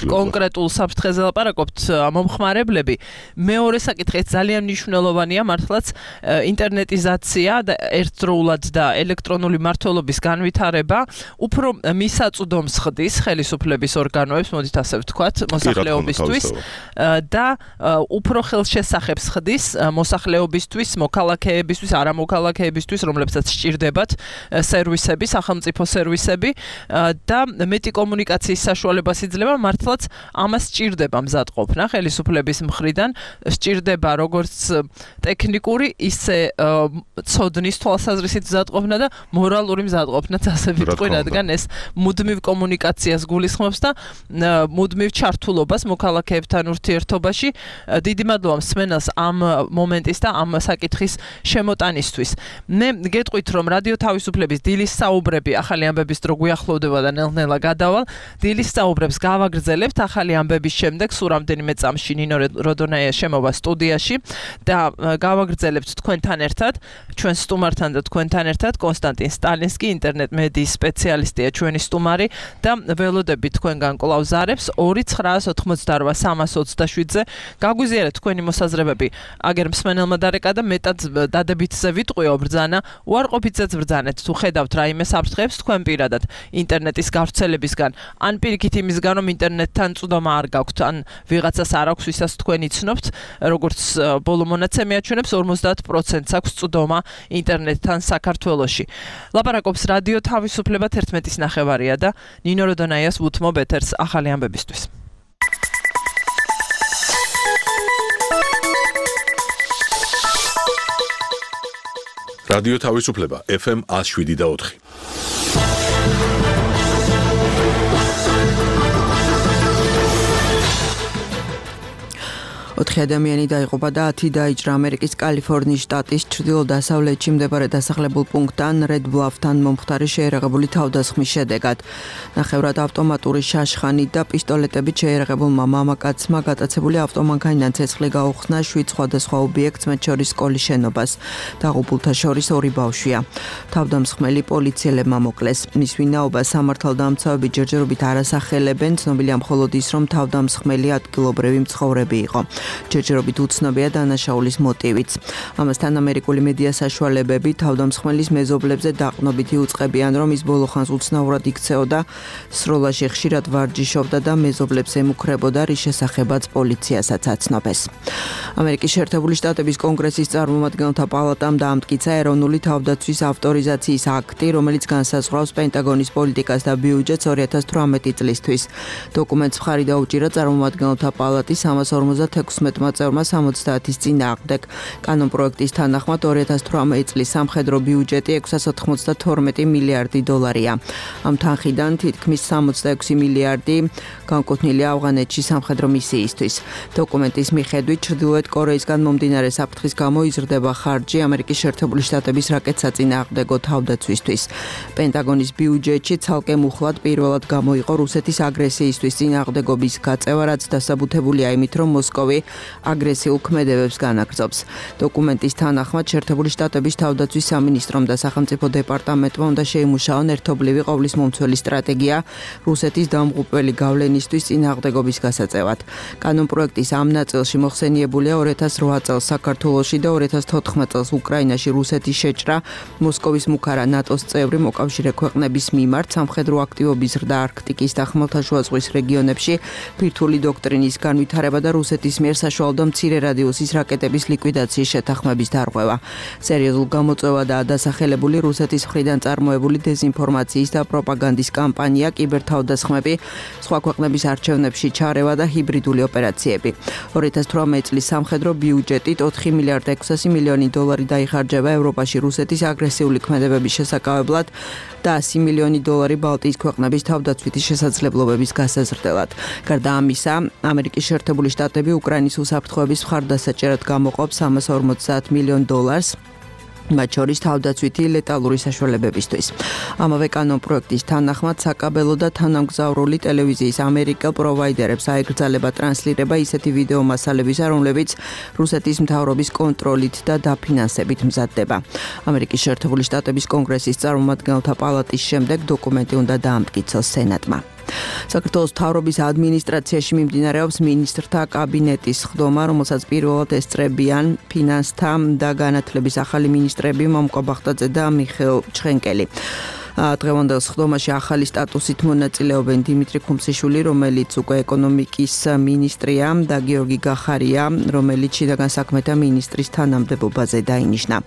კონკრეტულ საფრთხეზე ლაპარაკობთ მომხმარებლები. მეორე საკითხი ძალიან მნიშვნელოვანია, მართლაც ინტერნეტიზაცია და ერთდროულად და ელექტრონული მმართველობის განვითარება უფრო მისაწვდომს ხდის ხელისუფლების ორგანოებს, მოდით ასე ვთქვათ, მოსახლეობისთვის და უფრო ხელშესახებს ხდის მოსახლეობისთვის, მოქალაქეებისთვის, არამოქალაქეებისთვის, რომლებსაც სჭირდებათ სერვისები, სახელმწიფო სერვისები სერვისები და მეტი კომუნიკაციის საშუალებას იძლევა მართლაც ამას სჭირდება მზადყოფნა ხელისუფლების მხრიდან სჭირდება როგორც ტექნიკური ისე ცოდნის თვალსაზრისით მზადყოფნა და მორალური მზადყოფნაც ასე ვიტყვი რადგან ეს მუდმივ კომუნიკაციას გულისხმობს და მუდმივ ჩართულობას მოქალაქეებთან ურთიერთობაში დიდი მადლობა მსმენელს ამ მომენტის და ამ საკითხის შემოტანისთვის. მე გეტყვით რომ რადიო თავისუფლების დილის საუბრები ახალი ამბების დრო გვიახლოვდება და ნელ-ნელა გადავალ. დილის საუბრებს გავაგრძელებთ ახალი ამბების შემდეგ სულ რამდენიმე წამში ნინო როდონაია შემოვა სტუდიაში და გავაგრძელებთ თქვენთან ერთად ჩვენ სტუმართან და თქვენთან ერთად კონსტანტინ სტალინსკი ინტერნეტ მედიის სპეციალისტია ჩვენი სტუმარი და ველოდები თქვენგან კვლავ ზარებს 2-988-327-ზე გაგვიზიარეთ თქვენი მოსაზრებები აგერ მსმენელმა დარეკა და მეტად დადებითზე ვიტყვიო ბრძანა უარყოფითზეც ბრძანეთ თუ ხედავთ რაიმე საფრთხეებს თქვენ პირადად ინტერნეტის გავრცელებისგან ან პირიქით იმისგან რომ ინტერნეტთან წვდომა არ გაქვთ ან ვიღაცას არ აქვს ვისაც თქვენ იცნობთ როგორც ბოლო მონაცემი აჩვენებს 50%-ს აქვს წვდომა ინტერნეტთან საქართველოში ლაპარაკობს რადიო თავისუფლება 11:09 და ნინო როდონაიას უთმობ ეთერს ახალი ამბებისთვის რადიო თავისუფლება FM 107.4 4 ადამიანი დაიღუპა და 10 დაიჭრა ამერიკის კალიფორნიის შტატის ჩრდილო-დასავლეთში მდებარე დასახლებულ პუნქტთან Red Bluff-თან მომხდარი შეერაღებული თავდასხმის შედეგად. ნახევრად ავტომატური შაშხანი და პისტოლეტებით შეერაღებულმა მამაკაცმა გატაცებული ავტომანქანიდან ცეცხლი გაუხსნა 7 სხვადასხვა ობიექტს, მათ შორის სკოლის შენობას. დაღუპულთა შორის 2 ბავშვია. თავდამსხმელი პოლიციელებმა მოკლეს. მის ვინაობას სამართალდამცავები ჯერჯერობით არ ასახელებენ, ცნობილია მხოლოდ ის, რომ თავდამსხმელი ადგილობრივი მცხოვრები იყო. ჯერჯერობით უცნობია დანაშაულის მოტივიც. ამასთან ამერიკული მედია საშუალებები თავდამსხმელის მეზობლებზე დაყრდნობით იუწყებიან, რომ ის ბოლოხანს უცნაურად იქცეოდა, სროლაში ხშირად ვარჯიშობდა და მეზობლებს ემუქრებოდა, რის შესახებაც პოლიციასაც აცნობეს. ამერიკის შეერთებული შტატების კონგრესის წარმომადგენელთა პალატამ დაამტკიცა ეროვნული თავდაცვის ავტორიზაციის აქტი, რომელიც განსაზღვრავს პენტაგონის პოლიტიკას და ბიუჯეტს 2018 წლისთვის. დოკუმენტს მხარი დაუჭირა წარმომადგენელთა პალატის 346-მა წევრმა 70-ის წინააღმდეგ. კანონპროექტის თანახმად 2018 წლის სამხედრო ბიუჯეტი 692 მილიარდი დოლარია. ამ თანხიდან თითქმის 66 მილიარდი განკუთვნილია ავღანეთში სამხედრო მისიისთვის. დოკუმენტის მიხედვით ჩრდილოეთ კორეისგან მომდინარე საფრთხის გამო იზრდება ხარჯი ამერიკის შეერთებული შტატების რაკეტსაწინააღმდეგო თავდაცვისთვის. პენტაგონის ბიუჯეტში ცალკე მუხლად პირველად გამოიყო რუსეთის აგრესიისთვის წინააღმდეგობის გაწევა, რაც დასაბუთებულია იმით, რომ მოსკოვი აგრესიულ ქმედებებს განაგრძობს. დოკუმენტის თანახმად შეერთებული შტატების თავდაცვის სამინისტრომ და სახელმწიფო დეპარტამენტმა უნდა შეიმუშაონ ერთობლივი ყოვლისმომცველი სტრატეგია რუსეთის დამღუპველი გავლენისთვის წინააღმდეგობის გასაწევად. კანონპროექტის ამ ნაწილში მოხსენიებულია 2008 წელს საქართველოში და 2014 წელს უკრაინაში რუსეთის შეჭრა, მოსკოვის მუქარა ნატოს წევრი მოკავშირე ქვეყნების მიმართ სამხედრო აქტივობის ზრდა არქტიკის და ხმელთაშუა ზღვის რეგიონებში, ბირთვული დოქტრინის განვითარება და რუსეთის მიერ საშუალო მცირე რადიუსის რაკეტების ლიკვიდაციის შეთანხმების დარღვევა. სერიოზულ გამოწვევა და დასახელებული რუსეთის მხრიდან წარმოებული დეზინფორმაციის და პროპაგანდის კამპანია, კიბერთავდასხმები, სხვა ქვეყნების არჩევნებში ჩარევა და ჰიბრიდული ოპერაციები. 2018 წლის სამხედრო ბიუჯეტით 4 მილიარდ 600 მილიონი დოლარი დაიხარჯება ევროპაში რუსეთის აგრესიული ქმედებების შესაკავებლად და 100 მილიონი დოლარი ბალტიის ქვეყნების თავდაცვითი შესაძლებლობების გასაზრდელად. გარდა ამისა, ამერიკის შეერთებული შტატები უკრაინის უსაფრთხოების მხარდასაჭერად გამოყოფს 350 მილიონ დოლარს. მათ შორის თავდაცვითი ლეტალური საშუალებებისთვის. ამავე კანონპროექტის თანახმად საკაბელო და თანამგზავრული ტელევიზიის ამერიკელ პროვაიდერებს აეკრძალება ტრანსლირება ისეთი ვიდეო მასალებისა, რომლებიც რუსეთის მთავრობის კონტროლით და დაფინანსებით მზადდება. ამერიკის შეერთებული შტატების კონგრესის წარმომადგენელთა პალატის შემდეგ დოკუმენტი უნდა დაამტკიცოს სენატმა. საქართველოს მთავრობის ადმინისტრაციაში მიმდინარეობს მინისტრთა კაბინეტის ხდომა, რომელსაც პირველად ესწრებიან ფინანსთა და განათლების ახალი მინისტრები მომკო ბახტაძე და მიხეილ ჩხენკელი. დღევანდელ სხდომაში ახალი სტატუსით მონაწილეობენ დიმიტრი ქუმსიშვილი, რომელიც უკვე ეკონომიკის მინისტრია და გიორგი გახარია, რომელიც შინაგან საქმეთა მინისტრის თანამდებობაზე დაინიშნა.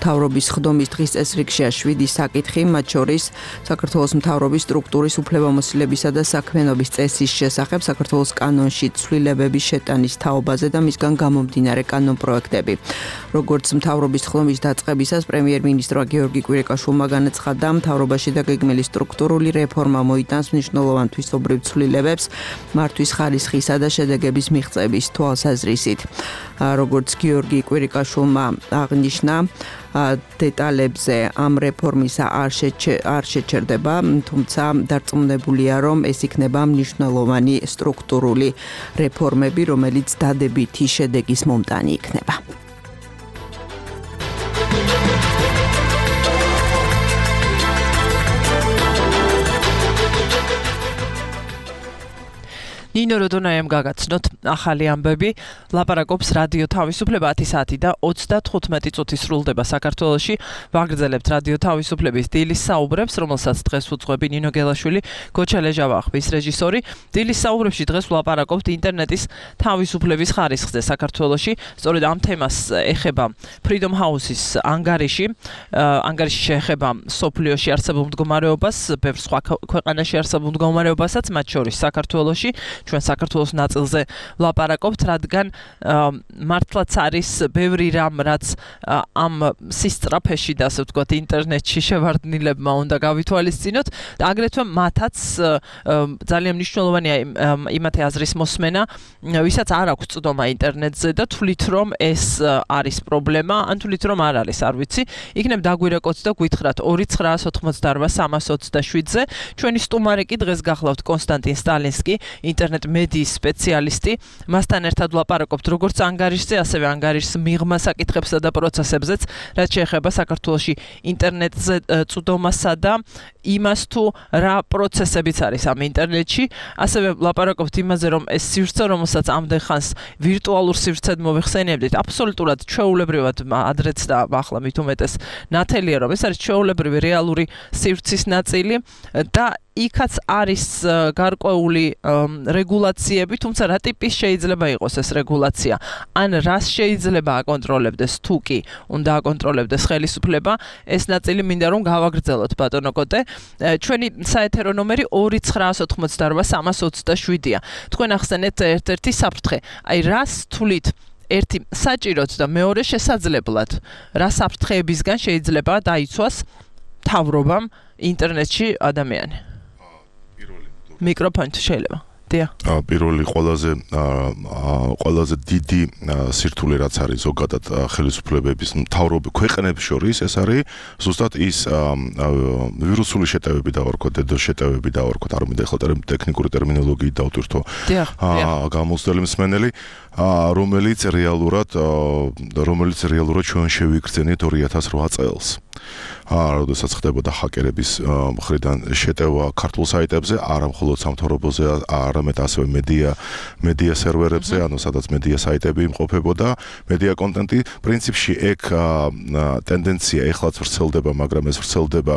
მთავრობის სხდომის დღის წესრიგშია 7 საკითხი, მათ შორის საქართველოს მთავრობის სტრუქტურის უფლებამოსილებისა და საქმიანობის წესის შესახებ, საქართველოს კანონში ცვლილებების შეტანის თაობაზე და მისგან გამომდინარე კანონპროექტები. როგორც მთავრობის სხდომის დაწყებისას პრემიერ-მინისტრმა გიორგი კვირიკაშვილმა განაცხადა, მთავრობაში და გეგმილი სტრუქტურული რეფორმა მოიტანს მნიშვნელოვან თვისობრივ ცვლილებებს მართვის ხარისხისა და შედეგების მიღწევის თვალსაზრისით. როგორც გიორგი კვირიკაშვილმა აღნიშნა, დეტალებზე ამ რეფორმისა არ შეჩერდება, თუმცა დარწმუნებულია, რომ ეს იქნება მნიშვნელოვანი სტრუქტურული რეფორმები, რომელიც დადებითი შედეგის მომტანი იქნება. ნინო როდონაიამ გაგაცნოთ ახალი ამბები. ლაპარაკობს რადიო თავისუფლება 10 საათი და 35 წუთი სრულდება საქართველოში. ვაგრძელებთ რადიო თავისუფლების დილის საუბრებს, რომელსაც დღეს უძღვები ნინო გელაშვილი, გოჩა ლეჟავა ხმის რეჟისორი. დილის საუბრებში დღეს ვლაპარაკობთ ინტერნეტის თავისუფლების ხარისხზე საქართველოში. სწორედ ამ თემას ეხება Freedom House-ის ანგარიში. ანგარიში შეეხება სოფლიოში არსებულ მდგომარეობას, ბევრ სხვა ქვეყანაში არსებულ მდგომარეობასაც, მათ შორის საქართველოში. ჩვენ საქართველოს ნაწილზე ვლაპარაკობთ, რადგან მართლაც არის ბევრი რამ, რაც ამ სისწრაფეში და ასე ვთქვათ ინტერნეტში შევარდნილებმა უნდა გავითვალისწინოთ და აგრეთვე მათაც ძალიან მნიშვნელოვანია იმათი აზრის მოსმენა, ვისაც არ აქვს წვდომა ინტერნეტზე და თვლით რომ ეს არის პრობლემა, ან თვლით რომ არ არის, არ ვიცი, იქნებ დაგვირეკოთ და გვითხრათ 2988327-ზე. ჩვენი სტუმარი კი დღეს გახლავთ კონსტანტინ სტალინსკი, ინტერნეტ მედიის სპეციალისტი. მასთან ერთად ვლაპარაკობთ როგორც ანგარიშზე, ასევე ანგარიშის მიღმა საკითხებსა და პროცესებზეც, რაც შეეხება საქართველოში ინტერნეტზე წვდომასა და იმას თუ რა პროცესებიც არის ამ ინტერნეტში. ასევე ვლაპარაკობთ იმაზე, რომ ეს სივრცე, რომელსაც ამდენ ხანს ვირტუალურ სივრცედ მოვიხსენიებდით, აბსოლუტურად ჩვეულებრივად ადრეც და ახლა მით უმეტეს ნათელია, რომ ეს არის ჩვეულებრივი რეალური სივრცის ნაწილი და იქაც არის გარკვეული რეგულაციები, თუმცა რა ტიპის შეიძლება იყოს ეს რეგულაცია? ან რას შეიძლება აკონტროლებდეს თუ კი უნდა აკონტროლებდეს ხელისუფლება? ეს ნაწილი მინდა რომ გავაგრძელოთ ბატონო კოტე. ჩვენი საეთერო ნომერი 2988327-ია. თქვენ ახსენეთ ერთ-ერთი საფრთხე. აი რას თვლით? ერთი საჭიროდ და მეორე შესაძლებლად. რა საფრთხეებისგან შეიძლება დაიცვას მთავრობამ ინტერნეტში ადამიანი? მიკროფონი შეიძლება. დია. პირველი ყველაზე დიდი სირთულე რაც არის ზოგადად ხელისუფლებების მთავრობი ქვეყნებს შორის, ეს არის ზუსტად ის ვირუსული შეტევები დავარქვათ, დედოს შეტევები დავარქვათ, არ მინდა ახლა ტექნიკური ტერმინოლოგიით დავტვირთო. გამოსვლელი მსმენელი, რომელიც რეალურად ჩვენ შევიგრძენით 2008 წელს. როდესაც ხდებოდა ჰაკერების მხრიდან შეტევა ქართულ საიტებზე, არა მხოლოდ სამთავრობოზე, არამედ ასევე მედია სერვერებზე, ანუ სადაც მედია საიტები იმყოფებოდა, მედია კონტენტი. პრინციპში ეგ ტენდენცია ეხლაც ვრცელდება, მაგრამ ეს ვრცელდება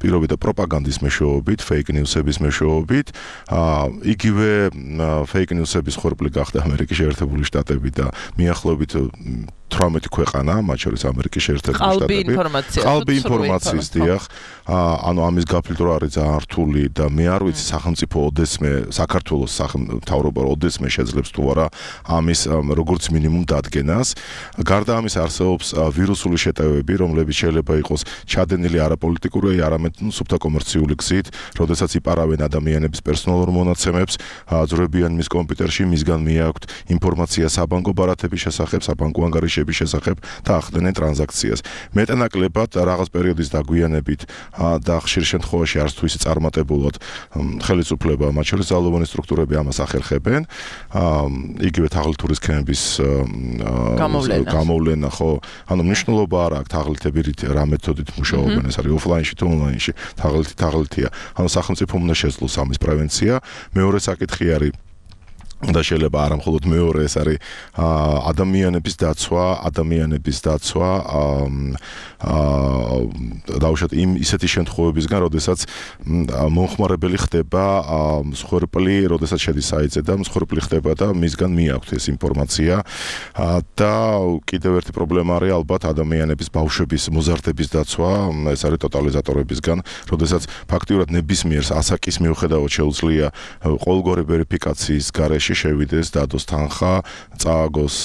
პირობით და პროპაგანდის მეშვეობით, fake news-ების მეშვეობით. იგივე fake news-ების ხორბლი გახდა ამერიკის შეერთებული შტატები და მიახლოებით 18 ქვეყანა, მათ შორის ამერიკის შეერთებული შტატები. ყალბი ინფორმაციის დიახ, ანუ ამის გაფილტვრა არის ძალიან რთული და მე არ ვიცი სახელმწიფო ოდესმე საქართველოს მთავრობა ოდესმე შეძლებს თუ არა ამის როგორც მინიმუმ დადგენას. გარდა ამის არსებობს ვირუსული შეტევები, რომლებიც შეიძლება იყოს ჩადენილი არაპოლიტიკური, არამედ სუფთა კომერციული გზით, როდესაც იპარავენ ადამიანების პერსონალურ მონაცემებს, ძროებიან მის კომპიუტერში, მისგან მიაქვთ ინფორმაცია საბანკო ბარათების შესახებ, საბანკო ანგარიშების შესახებ და ახდენენ ტრანზაქციას. მეტანაკლებად რაღაც პერიოდის დაგვიანებით და ხშირ შემთხვევაში არც თუ ისე წარმატებულად ხელისუფლება, მათ შორის ძალოვანი სტრუქტურები ამას ახერხებენ. იგივე თაღლითური სქემების გამოვლენა, ხო? ანუ მნიშვნელობა არ აქვს თაღლითები რა მეთოდით მუშაობენ, ეს არის ოფლაინში თუ ონლაინში, თაღლითია. ანუ სახელმწიფომ უნდა შეძლოს ამის პრევენცია. მეორე საკითხი არის და შეიძლება არა მხოლოდ მეორე ეს არის ადამიანების დაცვა დაუშვათ იმ ისეთი შემთხვევებისგან, როდესაც მომხმარებელი ხდება მსხვერპლი, როდესაც შედის საიტზე და მსხვერპლი ხდება და მისგან მიაქვთ ეს ინფორმაცია და კიდევ ერთი პრობლემა არის ალბათ ადამიანების ბავშვების მოზარდების დაცვა, ეს არის ტოტალიზატორებისგან, როდესაც ფაქტიურად ნებისმიერ ასაკის მიუხედავად შეუძლია ყოველგვარი ვერიფიკაციის გარეშე შევიდეს, დადოს თანხა, წააგოს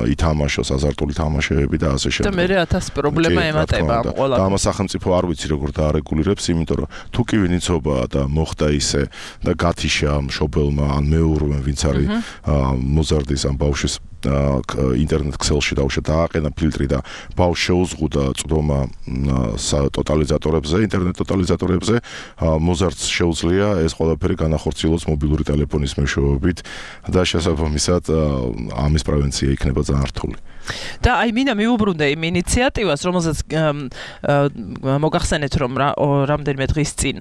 ითამაშოს აზარტული თამაშები და ასე შემდეგ. და მე 1000 პრობლემა ემატება ამ ყველაფერს. და ამას სახელმწიფო არ ვიცი როგორ დაარეგულირებს, იმიტომ რომ თუ კი ვინიცობაა და მოხდა ისე და გათიშა მშობელმა ან მეურვემ, ვინც არის მოზარდის ამ ბავშვის ინტერნეტ ქსელში დაუშვა დააყენა ფილტრი და ბავშვს შეუზღუდა წვდომა ტოტალიზატორებზე, ინტერნეტ ტოტალიზატორებზე, მოზარდს შეუძლია ეს ყველაფერი განახორციელოს მობილური ტელეფონის მეშვეობით და შესაბამისად ამის პრევენცია იქნება ძალიან რთული. და აი მინდა მიუბრუნდე იმ ინიციატივას, რომელზეც მოგახსენეთ, რომ რამდენიმე დღის წინ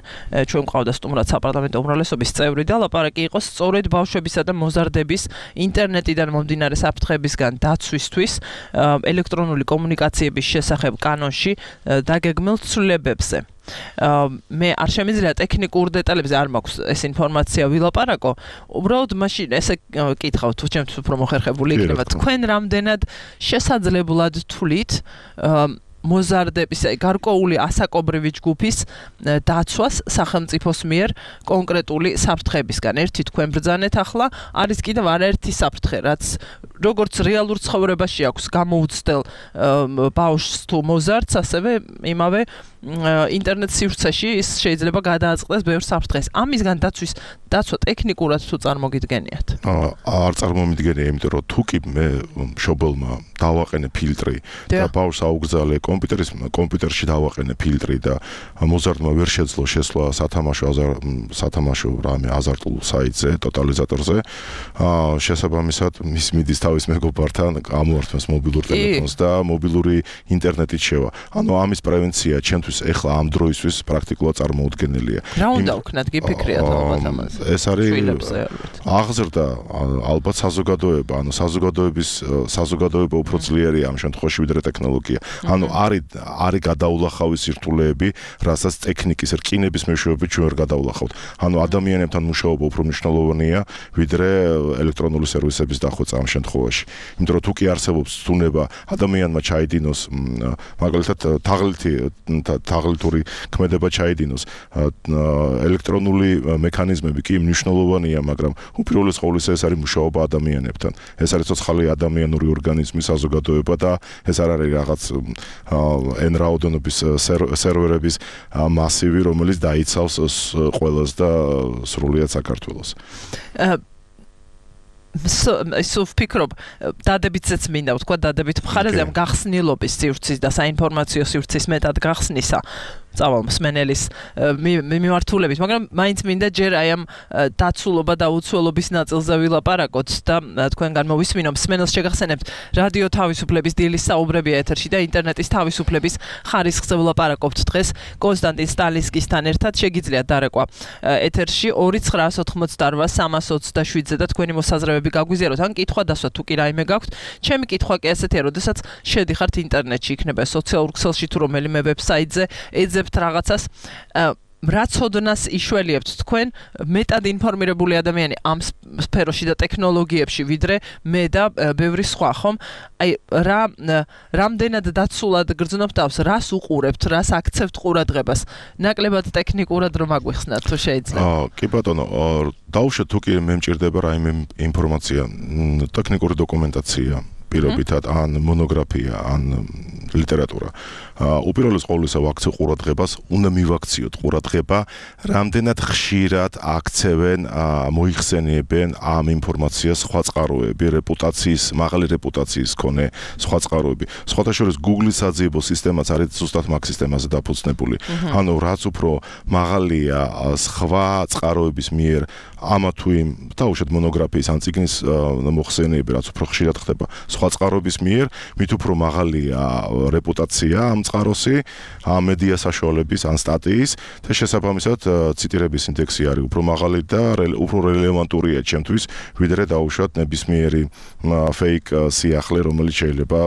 ჩვენ მყავდა სტუმრად საპარლამენტო უმრავლესობის წევრი და ლაპარაკი იყო სწორედ ბავშვებისა და მოზარდების ინტერნეტიდან მომდინარე საფრთხებისგან დაცვისთვის ელექტრონული კომუნიკაციების შესახებ კანონში დაგეგმილ ცვლილებებზე. მე არ შემიძლია ტექნიკურ დეტალებზე არ მაქვს ეს ინფორმაცია ვილაპარაკო. უბრალოდ მაშინ ესე კითხავ თუ ჩემთვის უფრო მოხერხებული იქნება. თქვენ რამდენად შესაძლებლად თვლით მოზარდების გარკვეული ასაკობრივი ჯგუფის დაცვას სახელმწიფოს მიერ კონკრეტული საფრთხებისგან. ერთი თქვენ ბრძანეთ ახლა, არის კიდევ არაერთი საფრთხე, რაც როგორც რეალურ ცხოვრებაში აქვს გამოუცდელ ბავშვს თუ მოზარდს, ასევე იმავე ინტერნეტ სივრცეში ის შეიძლება გადააწყდეს ბევრ საფრთხეს. ამისგან დაცვა ტექნიკურად თუ წარმოგიდგენიათ? არ წარმომიდგენია, იმიტომ რომ თუ კი მე მშობელმა დავაყენე ფილტრი და ბავშვს აუგზავნე კომპიუტერში დავაყენე ფილტრი და მოზარდმა ვერ შეძლო შესვლა სათამაშო რამე აზარტულ საიტზე, ტოტალიზატორზე, შესაბამისად მის მიდის თავის მეგობართან ამოართმევს მობილურ ტელეფონს და მობილური ინტერნეტით შევა. ანუ ამის პრევენცია ჩემთვის ეხლა ამ დროისთვის პრაქტიკულად წარმოუდგენელია. რა უნდა ვქნათ, გიფიქრიათ ალბათ ამაზე? ეს არის აღზრდა ალბათ საზოგადოება, ანუ საზოგადოება უფრო ძლიერია ამ შემთხვევაში ვიდრე ტექნოლოგია. ანუ არის გადაულახავი სირთულეები, რასაც ტექნიკის რკინების მეშვეობით ჩვენ ვერ გადაულახავთ. ანუ ადამიანებთან მუშაობა უფრო მნიშვნელოვანია ვიდრე ელექტრონული სერვისების დახვეწა ამ შემთხვევაში. იმიტომ რომ თუ კი არსებობს ცდუნება ადამიანმა ჩაიდინოს, მაგალითად თაღლითური ქმედება ჩაიდინოს, ელექტრონული მექანიზმები კი მნიშვნელოვანია, მაგრამ უპირველეს ყოვლისა ეს არის მუშაობა ადამიანებთან. ეს არის ცოცხალი ადამიანური ორგანიზმი, საზოგადოება და ეს არ არის რაღაც n რაოდენობის სერვერების მასივი, რომელიც დაიცავს ყველას და სრულიად საქართველოს. ისო ვფიქრობ, დადებითზეც მინდა ვთქვა, დადებით მხარეზე ამ გახსნილობის სივრცის და საინფორმაციო სივრცის მეტად გახსნისა წავალ მსმენელის მიმართულებით, მაგრამ მაინც მინდა ჯერ აი ამ დაცულობა და უცველობის ნაწილზე ვილაპარაკოთ და თქვენგან მოვისმინო. მსმენელს შეგახსენებთ რადიო თავისუფლების დილის საუბრები ეთერში და ინტერნეტის თავისუფლების ხარისხზე ვილაპარაკობთ დღეს კონსტანტინ სტალინსკისთან ერთად. შეგიძლიათ დარეკვა ეთერში 2988327-ზე და თქვენი მოსაზრებები გაგვიზიაროთ. ან კითხვა დასვა თუ კი რაიმე გაქვთ. ჩემი კითხვა კი ასეთია, როდესაც შედიხართ ინტერნეტში, იქნება სოციალურ ქსელში თუ რომელიმე ვებსაიტზე, ეძებთ რაღაცას, რა ცოდნას იშველიებთ თქვენ მეტად ინფორმირებული ადამიანი ამ სფეროში და ტექნოლოგიებში ვიდრე მე და ბევრი სხვა, ხომ? აი რამდენად დაცულად გრძნობთ თავს, რას უყურებთ, რას აქცევთ ყურადღებას? ნაკლებად ტექნიკურად რომ აგვიხსნათ თუ შეიძლება? კი ბატონო, დაუშვათ თუ კი მე მჭირდება რაიმე ინფორმაცია, ტექნიკური დოკუმენტაცია, პირობითად ან მონოგრაფია, ან ლიტერატურა. უპირველეს ყოვლისა ვაქცევ ყურადღებას, უნდა მივაქციოთ ყურადღება, რამდენად ხშირად აქცევენ, მოიხსენიებენ ამ ინფორმაციას სხვა წყაროები, მაღალი რეპუტაციის მქონე სხვა წყაროები. სხვათა შორის Google-ის საძიებო სისტემაც არის ზუსტად მაგ სისტემაზე დაფუძნებული. ანუ რაც უფრო მაღალია სხვა წყაროების მიერ ამა თუ იმ დაუშვათ მონოგრაფიის ან წიგნის მოხსენიები, რაც უფრო ხშირად ხდება სხვა წყაროების მიერ, მით უფრო მაღალია რეპუტაცია ამ წყაროსი, ამ მედია საშუალების ან სტატიის და შესაბამისად ციტირების ინდექსი არის უფრო მაღალი და უფრო რელევანტურია ჩემთვის, ვიდრე დაუშვათ ნებისმიერი fake სიახლე, რომელიც შეიძლება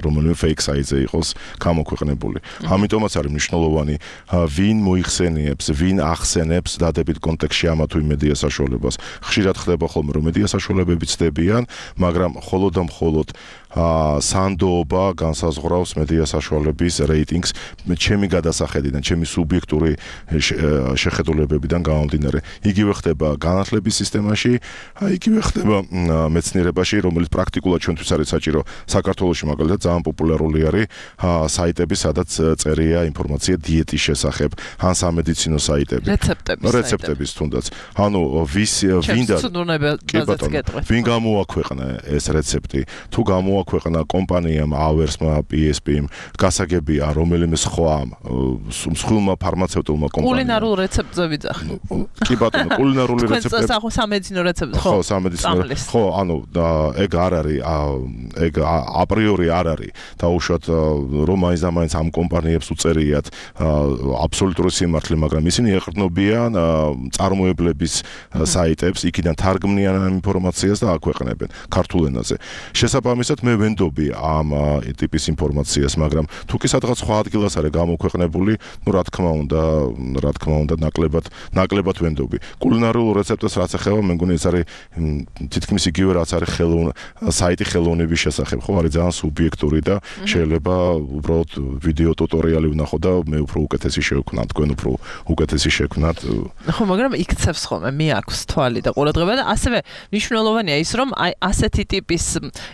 რომელიმე fake საიტზე იყოს გამოქვეყნებული. ამიტომაც არის მნიშვნელოვანი ვინ მოიხსენიებს, ვინ ახსენებს დადებით კონტექსტში ამა თუ იმ მედია საშუალებას. ხშირად ხდება ხოლმე რომ მედია საშუალებები ცდებიან, მაგრამ მხოლოდ და მხოლოდ სანდოობა განსაზღვრავს მედია საშუალების რეიტინგს ჩემი გადასახედიდან, ჩემი სუბიექტური შეხედულებებიდან გამომდინარე. იგივე ხდება განათლების სისტემაში, იგივე ხდება მეცნიერებაში, რომელიც პრაქტიკულად ჩვენთვის არის საჭირო. საქართველოში მაგალითად ძალიან პოპულარული არის საიტები, სადაც წერია ინფორმაცია დიეტის შესახებ, ან სამედიცინო საიტები. რეცეპტების თუნდაც. ანუ ვინ გამოაქვეყნა ეს რეცეპტი, თუ გამოაქვეყნა კომპანიამ Hours-მა, PSP-მ, გასაგებია რომელიმე მსხვილმა ფარმაცევტულმა კომპანიამ. კულინარულ რეცეპტზე ვიძახი. კი ბატონო, კულინარული რეცეპტები. სამედიცინო რეცეპტი, ხო, სამედიცინო. ხო, ანუ ეგ არ არის, ეგ აპრიორი არ არის. დაუშვათ რომ მაინც და მაინც ამ კომპანიებს უწერიათ აბსოლუტური სიმართლე, მაგრამ ისინი ეყრდნობიან წარმოებლების საიტებს, იქიდან თარგმნიან ამ ინფორმაციას და აქვეყნებენ ქართულ ენაზე. შესაბამისად მე ვენდობი ამ ტიპის ინფორმაციას, მაგრამ თუ კი სადღაც სხვა ადგილას არის გამოქვეყნებული, ნუ რა თქმა უნდა, ნაკლებად ვენდობი. კულინარულ რეცეპტებს რაც ეხება, მე მგონი ეს არის თითქმის იგივე რაც არის საიტი ხელოვნების შესახებ, ხო, არის ძალიან სუბიექტური და შეიძლება უბრალოდ ვიდეო ტუტორიალი ვნახო და მე უფრო უკეთესი შევქმნა, თქვენ უფრო უკეთესი შევქმნათ. ხო, მაგრამ იქცევს ხოლმე, მე აქვს თვალი და ყურადღება და ასევე მნიშვნელოვანია ის, რომ აი ასეთი ტიპის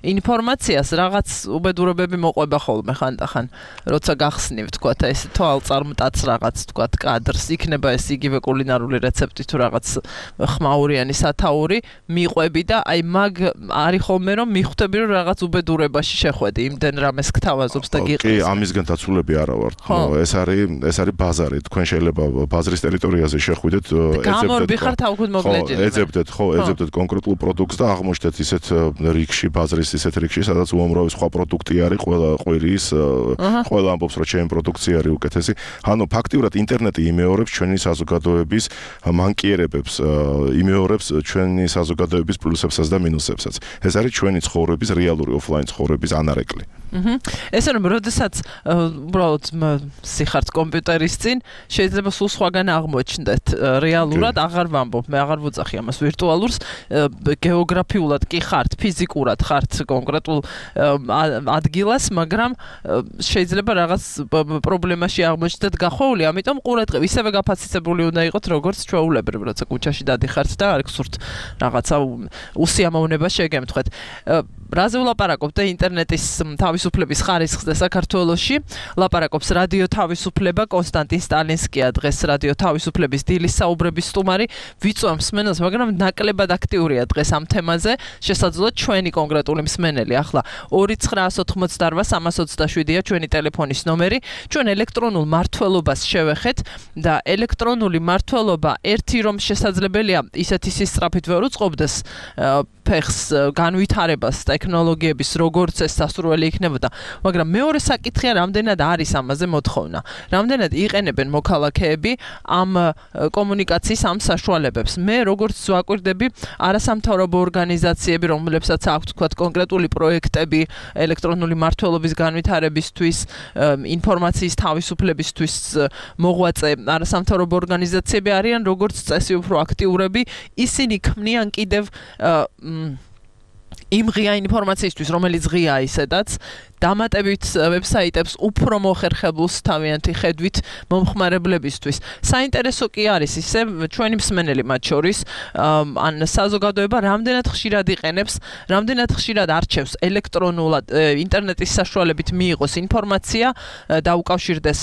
ინფორმაციას რაღაც უბედურებები მოყვება ხოლმე ხანდახან, როცა გახსნივ, თქვათ, ეს თვალწარმტაც რაღაც, თქვათ, კადრს, იქნება ეს იგივე კულინარული რეცეპტი თუ რაღაც ხმაურიანი სათაური, მიყვები და აი მაგ არის ხოლმე რომ მიხვდები რომ რაღაც უბედურებაში შეხვედი, იმდენ რამეს გთავაზობს და გიყრის. კი, ამისგან დაცულები არა ვართ. ეს არის ბაზარი. თქვენ შეიძლება ბაზრის ტერიტორიაზე შეხვიდეთ, ეძებდეთ კონკრეტულ პროდუქტს და აღმოჩნდეთ ისეთ რიგში, ბაზრის ისეთ რიგში, სადაც უამრავი სხვა პროდუქტი არის, ყველა ამბობს რომ ჩემი პროდუქცია არის უკეთესი. ანუ ფაქტიურად ინტერნეტი იმეორებს ჩვენი საზოგადოების მანკიერებებს, იმეორებს ჩვენი საზოგადოების პლუსებსაც და მინუსებსაც. ეს არის ჩვენი ცხოვრების რეალური ოფლაინ ცხოვრების ანარეკლი. ესე რომ როდესაც უბრალოდ სიხართ კომპიუტერის წინ, შეიძლება სულ სხვაგან აღმოჩნდეთ. რეალურად აღარ ვამბობ, მე აღარ ვუძახი ამას ვირტუალურს, გეოგრაფიულად კი ხართ, ფიზიკურად ხართ კონკრეტულ ადგილას, მაგრამ შეიძლება რაღაც პრობლემაში აღმოჩნდეთ გახვეული, ამიტომ ყურადღება ისევე გაფასისებული უნდა იყოს, როგორც ჩვეულებრივ, როცა კუჩაში დადიხართ და არ გსურთ რაღაცა უსიამოვნება შეგემთხვეთ. რაზე ვლაპარაკობთ და ინტერნეტის თავისუფლების ხარისხზე საქართველოში? ლაპარაკობს რადიო თავისუფლება, კონსტანტინ სტალინსკია დღეს რადიო თავისუფლების დილის საუბრების სტუმარი. ვიწვევ მსმენელს, მაგრამ ნაკლებად აქტიურია დღეს ამ თემაზე. შესაძლოა ჩვენი კონკრეტული მსმენელი ახლა 2988327-ია ჩვენი ტელეფონის ნომერი. ჩვენ ელექტრონულ მართლობას შევეხეთ და ელექტრონული მართლობა ერთი რომ შესაძლებელია ისეთი სისწრაფით ვერ უწყობდეს ფეხს განვითარებას ტექნოლოგიების როგორც ეს სასურველი იქნებოდა, მაგრამ მეორე საკითხია რამდენად არის ამაზე მოთხოვნა. რამდენად იყენებენ მოქალაქეები ამ კომუნიკაციის ამ საშუალებებს. მე როგორც ვაკვირდები არასამთავრობო ორგანიზაციები, რომლებსაც აქვთ თქვათ კონკრეტული პროექტები ელექტრონული მართლობის განვითარებისთვის, ინფორმაციის თავისუფლებისთვის მოღვაწე არასამთავრობო ორგანიზაციები არიან როგორც წესი უფრო აქტიურები, ისინი ქმნიან კიდევ იმ ღია ინფორმაციისთვის, რომელიც ღია ისედაც, დამატებით ვებსაიტებს უფრო მოხერხებულს თავიანთი ხედვით მომხმარებლებისთვის. საინტერესო კი არის ისე ჩვენი მსმენელი მათ შორის, ან საზოგადოება რამდენად ხშირად იყენებს, რამდენად ხშირად არჩევს ელექტრონულად ინტერნეტის საშუალებით მიიღოს ინფორმაცია, დაუკავშირდეს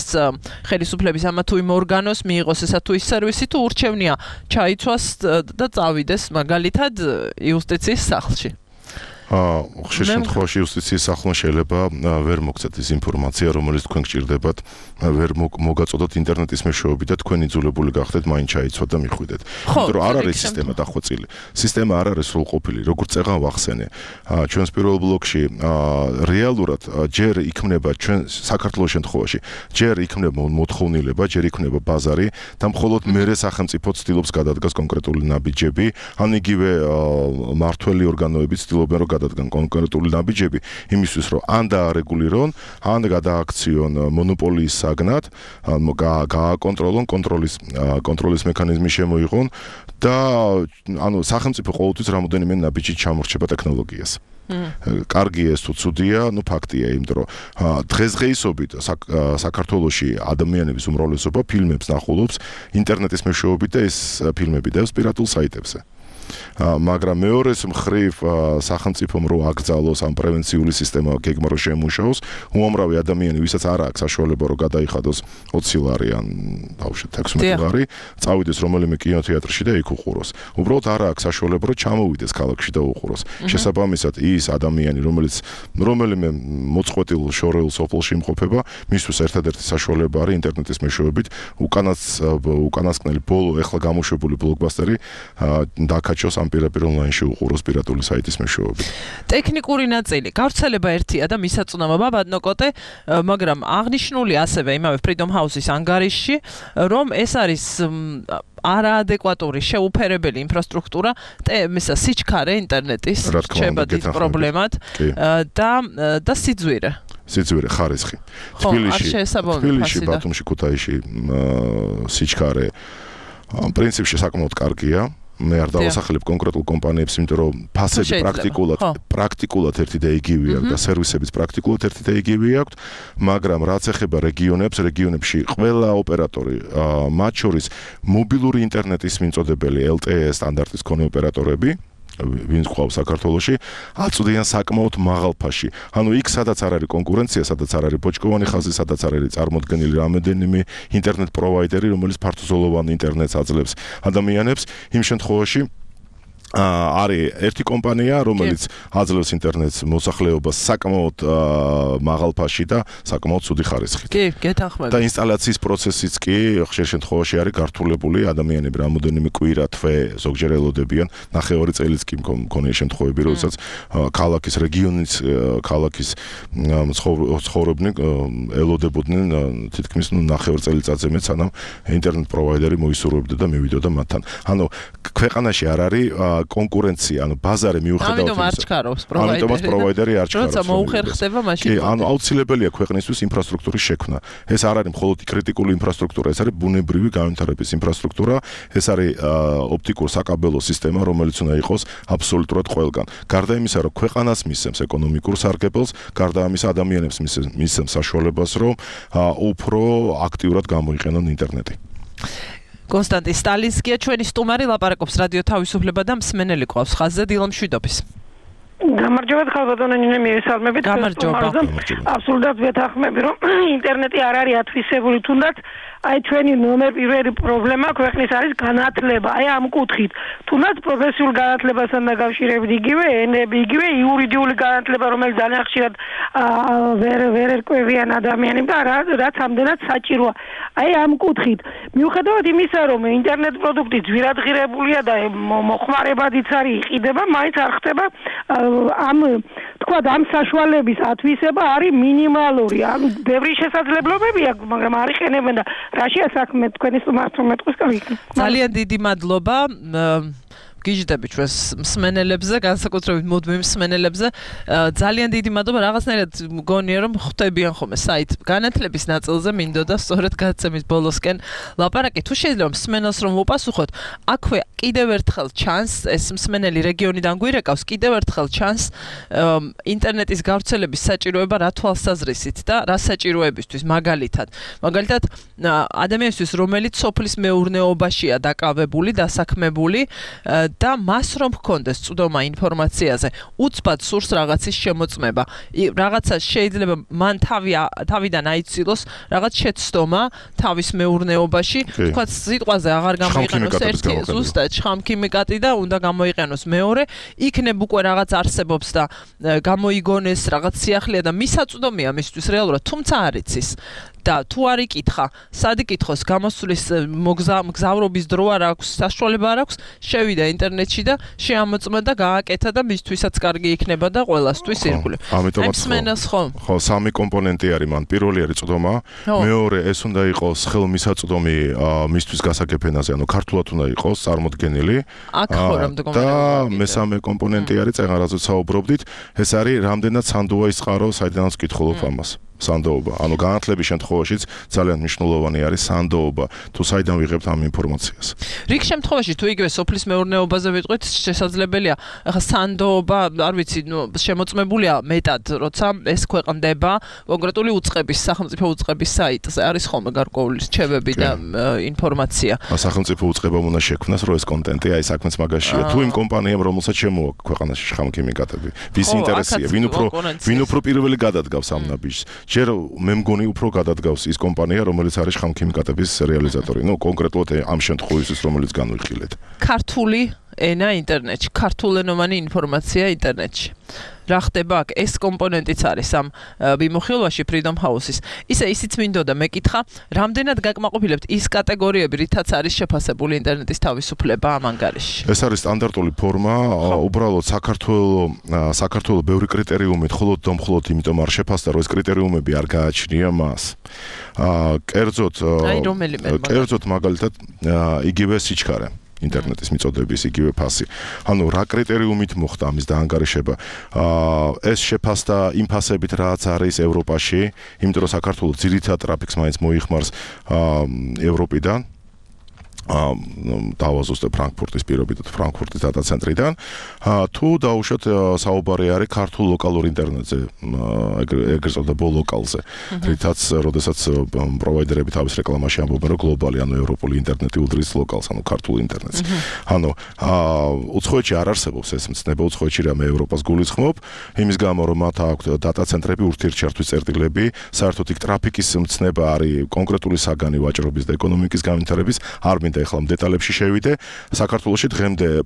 ხელისუფლების ამა თუ იმ ორგანოს, მიიღოს ესა თუ ის სერვისი, თუ ურჩევნია ჩაიცვას და წავიდეს მაგალითად იუსტიციის სახლში. ხშირ შემთხვევაში იუსტიციის სახლმა შეიძლება ვერ მოგცეთ ის ინფორმაცია, რომელიც თქვენ გჭირდებათ, ვერ მოგაწოდოთ ინტერნეტის მეშვეობით და თქვენ იძულებული გახდეთ მაინც ჩაიცვათ და მიხვიდეთ. იმიტომ რომ არ არის სისტემა დახვეწილი. სისტემა არ არის სრულყოფილი, როგორც წეღან ვახსენე. ჩვენს პირველ ბლოკში რეალურად ჯერ იქმნება ჩვენ საქართველოს შემთხვევაში, ჯერ იქმნება მოთხოვნილება, ჯერ იქმნება ბაზარი და მხოლოდ მერე სახელმწიფო ცდილობს გადადგას კონკრეტული ნაბიჯები, ან იგივე მართველი ორგანოები ცდილობენ რომ გადადგან კონკრეტული ნაბიჯები იმისთვის რომ ან დაარეგულირონ, ან გადააქციონ მონოპოლიის საგნად, გააკონტროლონ კონტროლის მექანიზმი შემოიღონ და ანუ სახელმწიფო ყოველთვის რამოდენიმე ნაბიჯით ჩამორჩება ტექნოლოგიას. კარგია ეს თუ ცუდია, ფაქტია, იმიტომ რომ დღესდღეობით საქართველოში ადამიანების უმრავლესობა ფილმებს ნახულობს ინტერნეტის მეშვეობით და ეს ფილმები დევს პირატულ საიტებზე. მაგრამ მეორეს მხრივ სახელმწიფომ რო აკრძალოს ამ პრევენციული სისტემა გეგმა რო შემუშაოს, უამრავი ადამიანი, ვისაც არ აქვს საშუალება რომ გადაიხადოს 20 ლარი ან ბავშვით 16 ლარი, წავიდეს რომელიმე კინოთეატრში და იქ უყუროს. უბრალოდ არ აქვს საშუალება რომ ჩამოვიდეს ქალაქში და უყუროს. შესაბამისად, ის ადამიანი, რომელიც რომელიმე მოწყვეტილ შორეულ სოფელში იმყოფება, მისთვის ერთადერთი საშუალება არის ინტერნეტის მეშვეობით უკანასკნელი ბოლო ეხლა გამოშვებული ბლოკბასტერი დაკაჩოს ამ პირდაპირ ონლაინში უყუროს პირატული საიტის მეშვეობით. ტექნიკური ნაწილი გავრცელება ერთია და მისაწვდომობა ბატონოკოტე, მაგრამ აღნიშნული ასევე იმავე Freedom House-ის ანგარიშში, რომ ეს არის არაადეკვატური შეუფერებელი ინფრასტრუქტურა სიჩქარე ინტერნეტის რჩება დიდ პრობლემად და სიძვირე. სიძვირე ხარისხი. თბილისში, ბათუმში, ქუთაისში სიჩქარე პრინციპში საკმაოდ კარგია. მე არ დავასახელებ კონკრეტულ კომპანიებს, იმიტომ რომ ფასები პრაქტიკულად ერთი და იგივე აქვს და სერვისებიც პრაქტიკულად ერთი და იგივე აქვს, მაგრამ რაც ეხება რეგიონებში ყველა ოპერატორი, მათ შორის მობილური ინტერნეტის მიმწოდებელი LTE სტანდარტის მქონე ოპერატორები, ვინც ყავს საქართველოში, აწვდიან საკმაოდ მაღალ ფასში. ანუ იქ სადაც არ არის კონკურენცია, სადაც არ არის ბოჭკოვანი ხაზი, სადაც არ არის წარმოდგენილი რამოდენიმე ინტერნეტ პროვაიდერი, რომელიც ფართოზოლოვან ინტერნეტს აძლევს ადამიანებს, იმ შემთხვევაში არის ერთი კომპანია, რომელიც აძლევს ინტერნეტს მოსახლეობას საკმაოდ მაღალ ფასში და საკმაოდ ცუდი ხარისხით. კი, გეთანხმებით. და ინსტალაციის პროცესიც კი ხშირ შემთხვევაში არის გართულებული, ადამიანები რამოდენიმე კვირა, თვე ზოგჯერ ელოდებიან, ნახევარი წელიც კი მქონია შემთხვევები, როდესაც ქალაქის რეგიონის ქალაქის ცხოვრობდნენ ელოდებოდნენ თითქმის ნახევარ წელიწადზე მეც, სანამ ინტერნეტ პროვაიდერი მოისურვებდა და მივიდოდა მათთან. ანუ ქვეყანაში არ არის კონკურენცია, ანუ ბაზარი მიუხედავად ამიტომ არ ჩქარობს პროვაიდერი. ამიტომაც პროვაიდერი არ ჩქარობს. როცა მოუხერხდება, მაშინ კი, ანუ აუცილებელია ქვეყნისთვის ინფრასტრუქტურის შექმნა. ეს არ არის მხოლოდ კრიტიკული ინფრასტრუქტურა, ეს არის ბუნებრივი განვითარების ინფრასტრუქტურა, ეს არის ოპტიკურ საკაბელო სისტემა, რომელიც უნდა იყოს აბსოლუტურად ყველგან. გარდა იმისა, რომ ქვეყანას მისცემს ეკონომიკურ სარგებელს, გარდა ამისა ადამიანებს მისცემს საშუალებას, რომ უფრო აქტიურად გამოიყენონ ინტერნეტი. კონსტანტინ სტალინსკია ჩვენი სტუმარი, ლაპარაკობს რადიო თავისუფლება და მსმენელი ყავს ხაზზე დილამ შვიდობის. გამარჯობა ხალბატონო ნინე მივესალმებით. აბსოლუტურად ვეთანხმები, რომ ინტერნეტი არ არის ათვისებული, თუნდაც აი ჩვენი ნომერ პირველი პრობლემა ქვეყნის არის განათლება. აი ამ კუთხით, თუნდაც პროფესიულ განათლებასთან დაკავშირებით იგივე ენები, იგივე იურიდიული განათლება, რომელიც ძალიან ხშირად ვერ ერკვევიან ადამიანებს და რაც ამდენად საჭიროა. აი ამ კუთხით, მიუხედავად იმისა, რომ ინტერნეტ პროდუქტი ძვირადღირებულია და მოხმარებადიც არის იყიდება, მაინც არ ხდება ამ საშუალების ათვისება არის მინიმალური. ანუ ბევრი შესაძლებლობები აქვს, მაგრამ არ იყენებენ და რაშია საქმე თქვენი სტუმართმეტყვის კარგი. ძალიან დიდი მადლობა. გიჟდები ჩვენს მსმენელებზე, განსაკუთრებით მუდმივ მსმენელებზე. ძალიან დიდი მადლობა. რაღაცნაირად მგონია, რომ ხვდებიან ხოლმე საით განათლების ნაწილზე მინდოდა სწორედ გადაცემის ბოლოსკენ ლაპარაკი. თუ შეიძლება მსმენელს რომ უპასუხოთ, აქვე კიდევ ერთხელ ჩანს, ეს მსმენელი რეგიონიდან გვირეკავს, კიდევ ერთხელ ჩანს ინტერნეტის გავრცელების საჭიროება რა თვალსაზრისით და რა საჭიროებისთვის, მაგალითად ადამიანისთვის, რომელიც სოფლის მეურნეობაშია დაკავებული, დასაქმებული და მას რომ ჰქონდეს წვდომა ინფორმაციაზე, უცბად სურს რაღაცის შემოწმება. რაღაცა შეიძლება მან თავიდან აიცილოს რაღაც შეცდომა თავის მეურნეობაში, თქვა სიტყვაზე აღარ გამოიყენოს ერთი ზუსტად ერთად შხამქიმიკატი და უნდა გამოიყენოს მეორე, იქნებ უკვე რაღაც არსებობს და გამოიგონეს რაღაც სიახლეა და მისაწვდომია მისთვის რეალურად, თუმცა არ იცის. და თუ არ იკითხა, სად იკითხოს, გამოსulis მგზავრობის დრო არ აქვს, საშუალება არ აქვს, შევიდა ინტერნეტში და შეამოწმა და გააკეთა და მისთვისაც კარგი იქნება და ყველასთვის ირგვლივ. ამიტომაც ხო, სამი კომპონენტი არის მან. პირველი არის წვდომა, მეორე ეს უნდა იყოს ხელმისაწვდომი მისთვის გასაგებ ენაზე, ანუ ქართულად უნდა იყოს წარმოდგენილი. და მესამე კომპონენტი არის წეგან რაზეც საუბრობდით, ეს არის რამდენად სანდოა ის წყარო, საიდანაც ვკითხულობ ამას. სანდოობა. ანუ განათლების შემთხვევაშიც ძალიან მნიშვნელოვანი არის სანდოობა. თუ საიდან ვიღებთ ამ ინფორმაციას. რიგ შემთხვევაში თუ იგივე სოფლის მეურნეობაზე ვიტყვით, შესაძლებელია. ახლა სანდოობა, არ ვიცი, შემოწმებულია მეტად, როცა ეს ქვეყნდება კონკრეტული უწყების, სახელმწიფო უწყების საიტზე. არის ხოლმე გარკვეული რჩევები და ინფორმაცია. სახელმწიფო უწყებამ უნდა შექმნას, რომ ეს კონტენტი, აი საქმეც მაგაშია. თუ იმ კომპანიამ, რომელსაც შემოაქვს ქვეყანაში შხამქიმიკატები, ვის ინტერესია, ვინ უფრო პირველი გადადგავს ამ ნაბიჯს. ჯერ მე მგონი უფრო გადადგავს ის კომპანია, რომელიც არის შხამქიმიკატების რეალიზატორი. ნუ კონკრეტულად ამ შემთხვევისთვის, რომელიც განვიხილეთ. ქართული ენა ინტერნეტში, ქართულენოვანი ინფორმაცია ინტერნეტში. რა ხდება აქ? ეს კომპონენტიც არის ამ მიმოხილვაში Freedom House-ის. ისიც მინდოდა მეკითხა, რამდენად გაკმაყოფილებთ ის კატეგორიები, რითაც არის შეფასებული ინტერნეტის თავისუფლება ამ ანგარიშში? ეს არის სტანდარტული ფორმა, უბრალოდ საქართველოს ბევრი კრიტერიუმით მხოლოდ იმიტომ არ შეფასდა, რომ ეს კრიტერიუმები არ გააჩნია მას. კერძოდ მაგალითად იგივე სიჩქარე. ინტერნეტის მიწოდების იგივე ფასი. ანუ რა კრიტერიუმით მოხდა ამის დაანგარიშება? ეს შეფასდა იმ ფასებით, რაც არის ევროპაში, იმიტომ რომ საქართველოს ძირითად ტრაფიკს მაინც მოიხმარს ევროპიდან. დავაზუსტებ ფრანკფურტის პირობითად, ფრანკფურტის დატა ცენტრიდან. თუ დაუშვათ საუბარი არის ქართულ ლოკალურ ინტერნეტზე, ეგრეთ წოდებულ ლოკალზე. რითაც, როდესაც პროვაიდერები თავის რეკლამაში ამბობენ, რომ გლობალი, ანუ ევროპული ინტერნეტი უდრის ლოკალს, ანუ ქართულ ინტერნეტს. ანუ უცხოეთში არ არსებობს ეს მცნება, უცხოეთში რამე ევროპას გულისხმობ, იმის გამო, რომ მათ აქვთ დატა ცენტრები, ურთიერთჩართვის წერტილები, საერთოდ იქ ტრაფიკის მცნება არის კონკრეტული საგანი ვაჭრობის და ეკონომიკის განვითარების, არ მინდა ეხლა დეტალებში შევიდე. საქართველოში დღემდე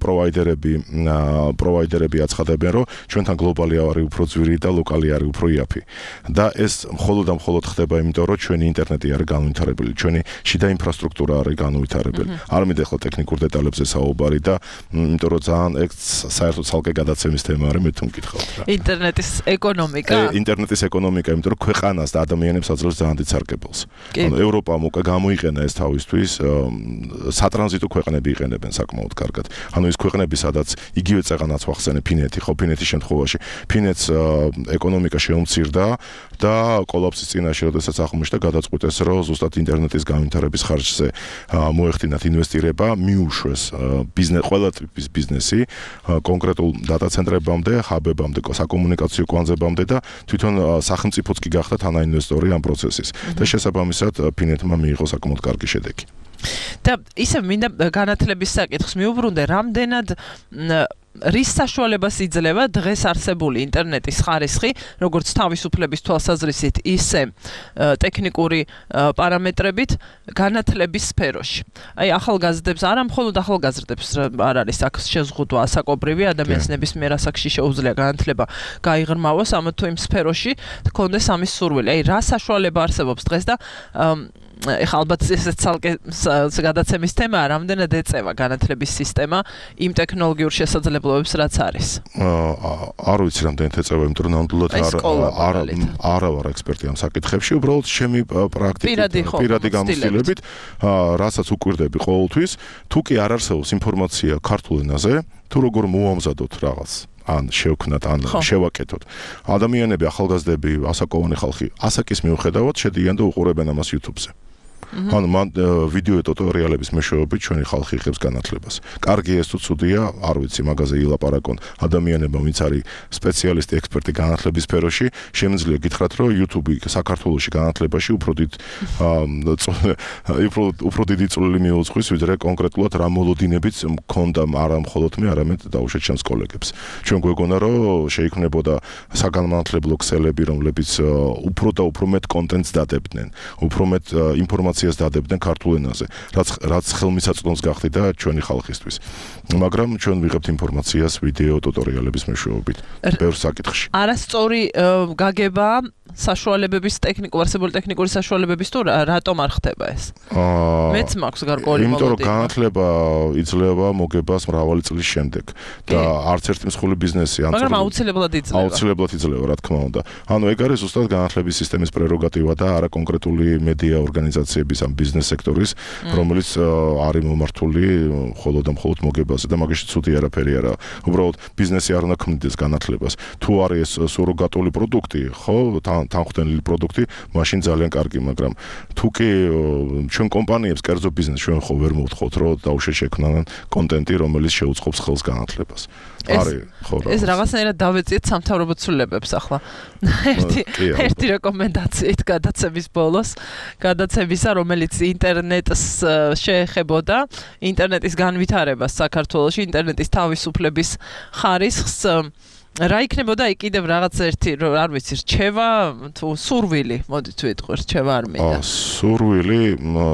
პროვაიდერები აცხადებენ, რომ ჩვენთან გლობალი არის უფრო ძვირი და ლოკალი არის უფრო იაფი. და ეს მხოლოდ და მხოლოდ ხდება, იმიტომ რომ ჩვენი ინტერნეტი არის განვითარებული, ჩვენი შიდა ინფრასტრუქტურა არის განვითარებული. არ მინდა ეხლა ტექნიკურ დეტალებზე საუბარი და იმიტომ რომ ძალიან ეგ საერთოდ ცალკე გადაცემის თემა არის, მე თუ მკითხავთ რა. ინტერნეტის ეკონომიკა. ინტერნეტის ეკონომიკა, იმიტომ რომ ქვეყანას და ადამიანებს აძლევს ძალიან დიდ სარგებელს. ანუ ევროპამ უკვე გამოიყენა ეს თავისთვის სატრანზიტო ქვეყნები იყენებენ საკმაოდ კარგად. ანუ ის ქვეყნები, სადაც იგივე წეღანაც ვახსენე ფინეთი, ხო ფინეთის შემთხვევაში, ფინეთს ეკონომიკა შეუმცირდა და კოლაფსის წინაშე, როდესაც აღმოჩნდა გადაწყვიტეს, რომ ზუსტად ინტერნეტის განვითარების ხარჯზე მოეხდინათ ინვესტირება, მიუშვეს ყველა ტიპის ბიზნესი, კონკრეტულ დატა ცენტრებამდე, ჰაბებამდე, საკომუნიკაციო კვანძებამდე და თვითონ სახელმწიფოც კი გახდა თანაინვესტორი ამ პროცესის. და შესაბამისად ფინეთმა მიიღო საკმაოდ კარგი შედეგი. და ისე მინდა განათლების საკითხს მიუბრუნდე, რამდენად რის საშუალებას იძლევა დღეს არსებული ინტერნეტის ხარისხი, როგორც თავისუფლების თვალსაზრისით, ისე ტექნიკური პარამეტრებით განათლების სფეროში. აი ახალგაზრდებს, არა მხოლოდ ახალგაზრდებს არ არის აქ შეზღუდვა ასაკობრივი ადამიანის ნებისმიერ ასაკში შეუძლია განათლება გაიღრმავოს, ამათ თუ იმ სფეროში გქონდეს ამის სურვილი. აი რა საშუალება არსებობს დღეს და ეხლა ალბათ ესეც ცალკე გადაცემის თემაა, რამდენად ეწევა განათლების სისტემა იმ ტექნოლოგიურ შესაძლებლობებს, რაც არის. არ ვიცი რამდენად ეწევა, იმიტომ რომ ნამდვილად არ ვარ ექსპერტი ამ საკითხებში, უბრალოდ ჩემი პირადი გამოცდილებით, რასაც უკვირდები ყოველთვის, თუ კი არ არსებობს ინფორმაცია ქართულ ენაზე, თუ როგორ მოამზადოთ რაღაც ან შევქნათ, ან შევაკეთოთ. ადამიანები, ახალგაზრდები, ასაკოვანი ხალხი, ასაკის მიუხედავად შედიან და უყურებენ ამას YouTube-ზე. ანუ მან ვიდეო ტუტორიალების მეშვეობით ჩვენი ხალხი იღებს განათლებას. კარგი ეს თუ ცუდია, არ ვიცი, მაგაზე ილაპარაკონ ადამიანებმა, ვინც არის სპეციალისტი, ექსპერტი განათლების სფეროში, შემიძლია გითხრათ, რომ YouTube საქართველოში განათლებაში უფრო დიდი წვლილი მიუძღვის, ვიდრე კონკრეტულად რა მოლოდინებიც მქონდა არა მხოლოდ მე, არამედ დაუშვათ ჩემს კოლეგებს. ჩვენ გვეგონა, რომ შეიქმნებოდა საგანმანათლებლო ქსელები, რომლებიც უფრო და უფრო მეტ კონტენტს დადებდნენ, უფრო მეტ ინფორმაციას ინფორმაციას დადებდნენ ქართულ ენაზე, რაც ხელმისაწვდომს გახდა და ჩვენი ხალხისთვის. მაგრამ ჩვენ ვიღებთ ინფორმაციას ვიდეო ტუტორიალების მეშვეობით ბევრ საკითხში. არასწორი გაგება საშუალებების არსებული ტექნიკური საშუალებების თუ რატომ არ ხდება ეს? მეც მაქვს გარკვეული იმიტომ რომ განათლება იძლევა მოგებას მრავალი წლის შემდეგ და არც ერთი მსხვილი ბიზნესი მაგრამ აუცილებლად იძლევა, რა თქმა უნდა. ანუ ეგ არის ზუსტად განათლების სისტემის პრეროგატივა და არა კონკრეტული მედია ორგანიზაციების ამ ბიზნეს სექტორის, რომელიც არის მომართული მხოლოდ და მხოლოდ მოგებაზე და მაგაში ცუდი არაფერი არა. უბრალოდ ბიზნესი არ უნდა ქმნიდეს განათლებას. თუ არის სუროგატული პროდუქტი, ხო, თანხმდენილი პროდუქტი, მაშინ ძალიან კარგი, მაგრამ თუ კი ჩვენ კომპანიებს კერძო ბიზნესს ჩვენ ხო ვერ მოვთხოვთ, რომ დაუშვათ შექმნან კონტენტი, რომელიც შეუწყობს ხელს განათლებას. ეს რაღაცნაირად დავეციეთ სამთავრობო ცვლილებებს ახლა. ერთი რეკომენდაციით გადაცემის ბოლოს, გადაცემისა, რომელიც ინტერნეტს შეეხებოდა, ინტერნეტის განვითარებას საქართველოში, ინტერნეტის თავისუფლების ხარისხს რა იქნებოდა იქ კიდევ რაღაც ერთი არ ვიცი რჩევა თუ სურვილი მოდით ვიტყვი რჩევა არ მინდა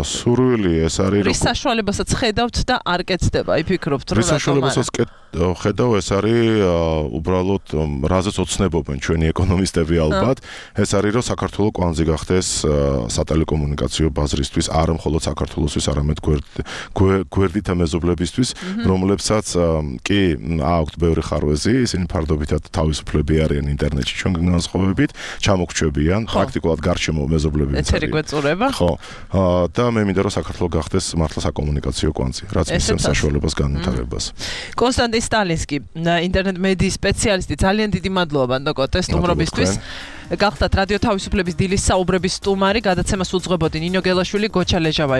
სურვილი ეს არის რის საშუალებასაც ხედავთ და არ კეთდება იფიქრობთ რომ რის საშუალებასაც ხედავ ეს არის უბრალოდ რაზეც ოცნებობენ ჩვენი ეკონომისტები ალბათ ეს არის რომ საქართველოს კვანძი გახდეს სატელეკომუნიკაციო ბაზრისთვის არა მხოლოდ საქართველოსთვის არამედ გვერდითა მეზობლებისთვის რომლებსაც კი აქვთ ბევრი ხარვეზი ისინი ფარდობითად თავისუფლები არიან ინტერნეტში ჩვენგან განსხვავებით ჩამოგრჩებიან პრაქტიკულად გარშემო მეზობლებიც ეთერი გვეწურება ხო და მე მინდა რომ საქართველოს გახდეს მართლა საკომუნიკაციო კვანძი რაც მისცემს საშუალებას განვითარებას კონსტანტინ სტალინსკი ინტერნეტ მედიის სპეციალისტი ძალიან დიდი მადლობა ბანდოკო სტუმრობისთვის გახდათ რადიო თავისუფლების დილის საუბრების სტუმარი გადაცემას უძღვებოდი ნინო გელაშვილი გოჩა ლეჟავა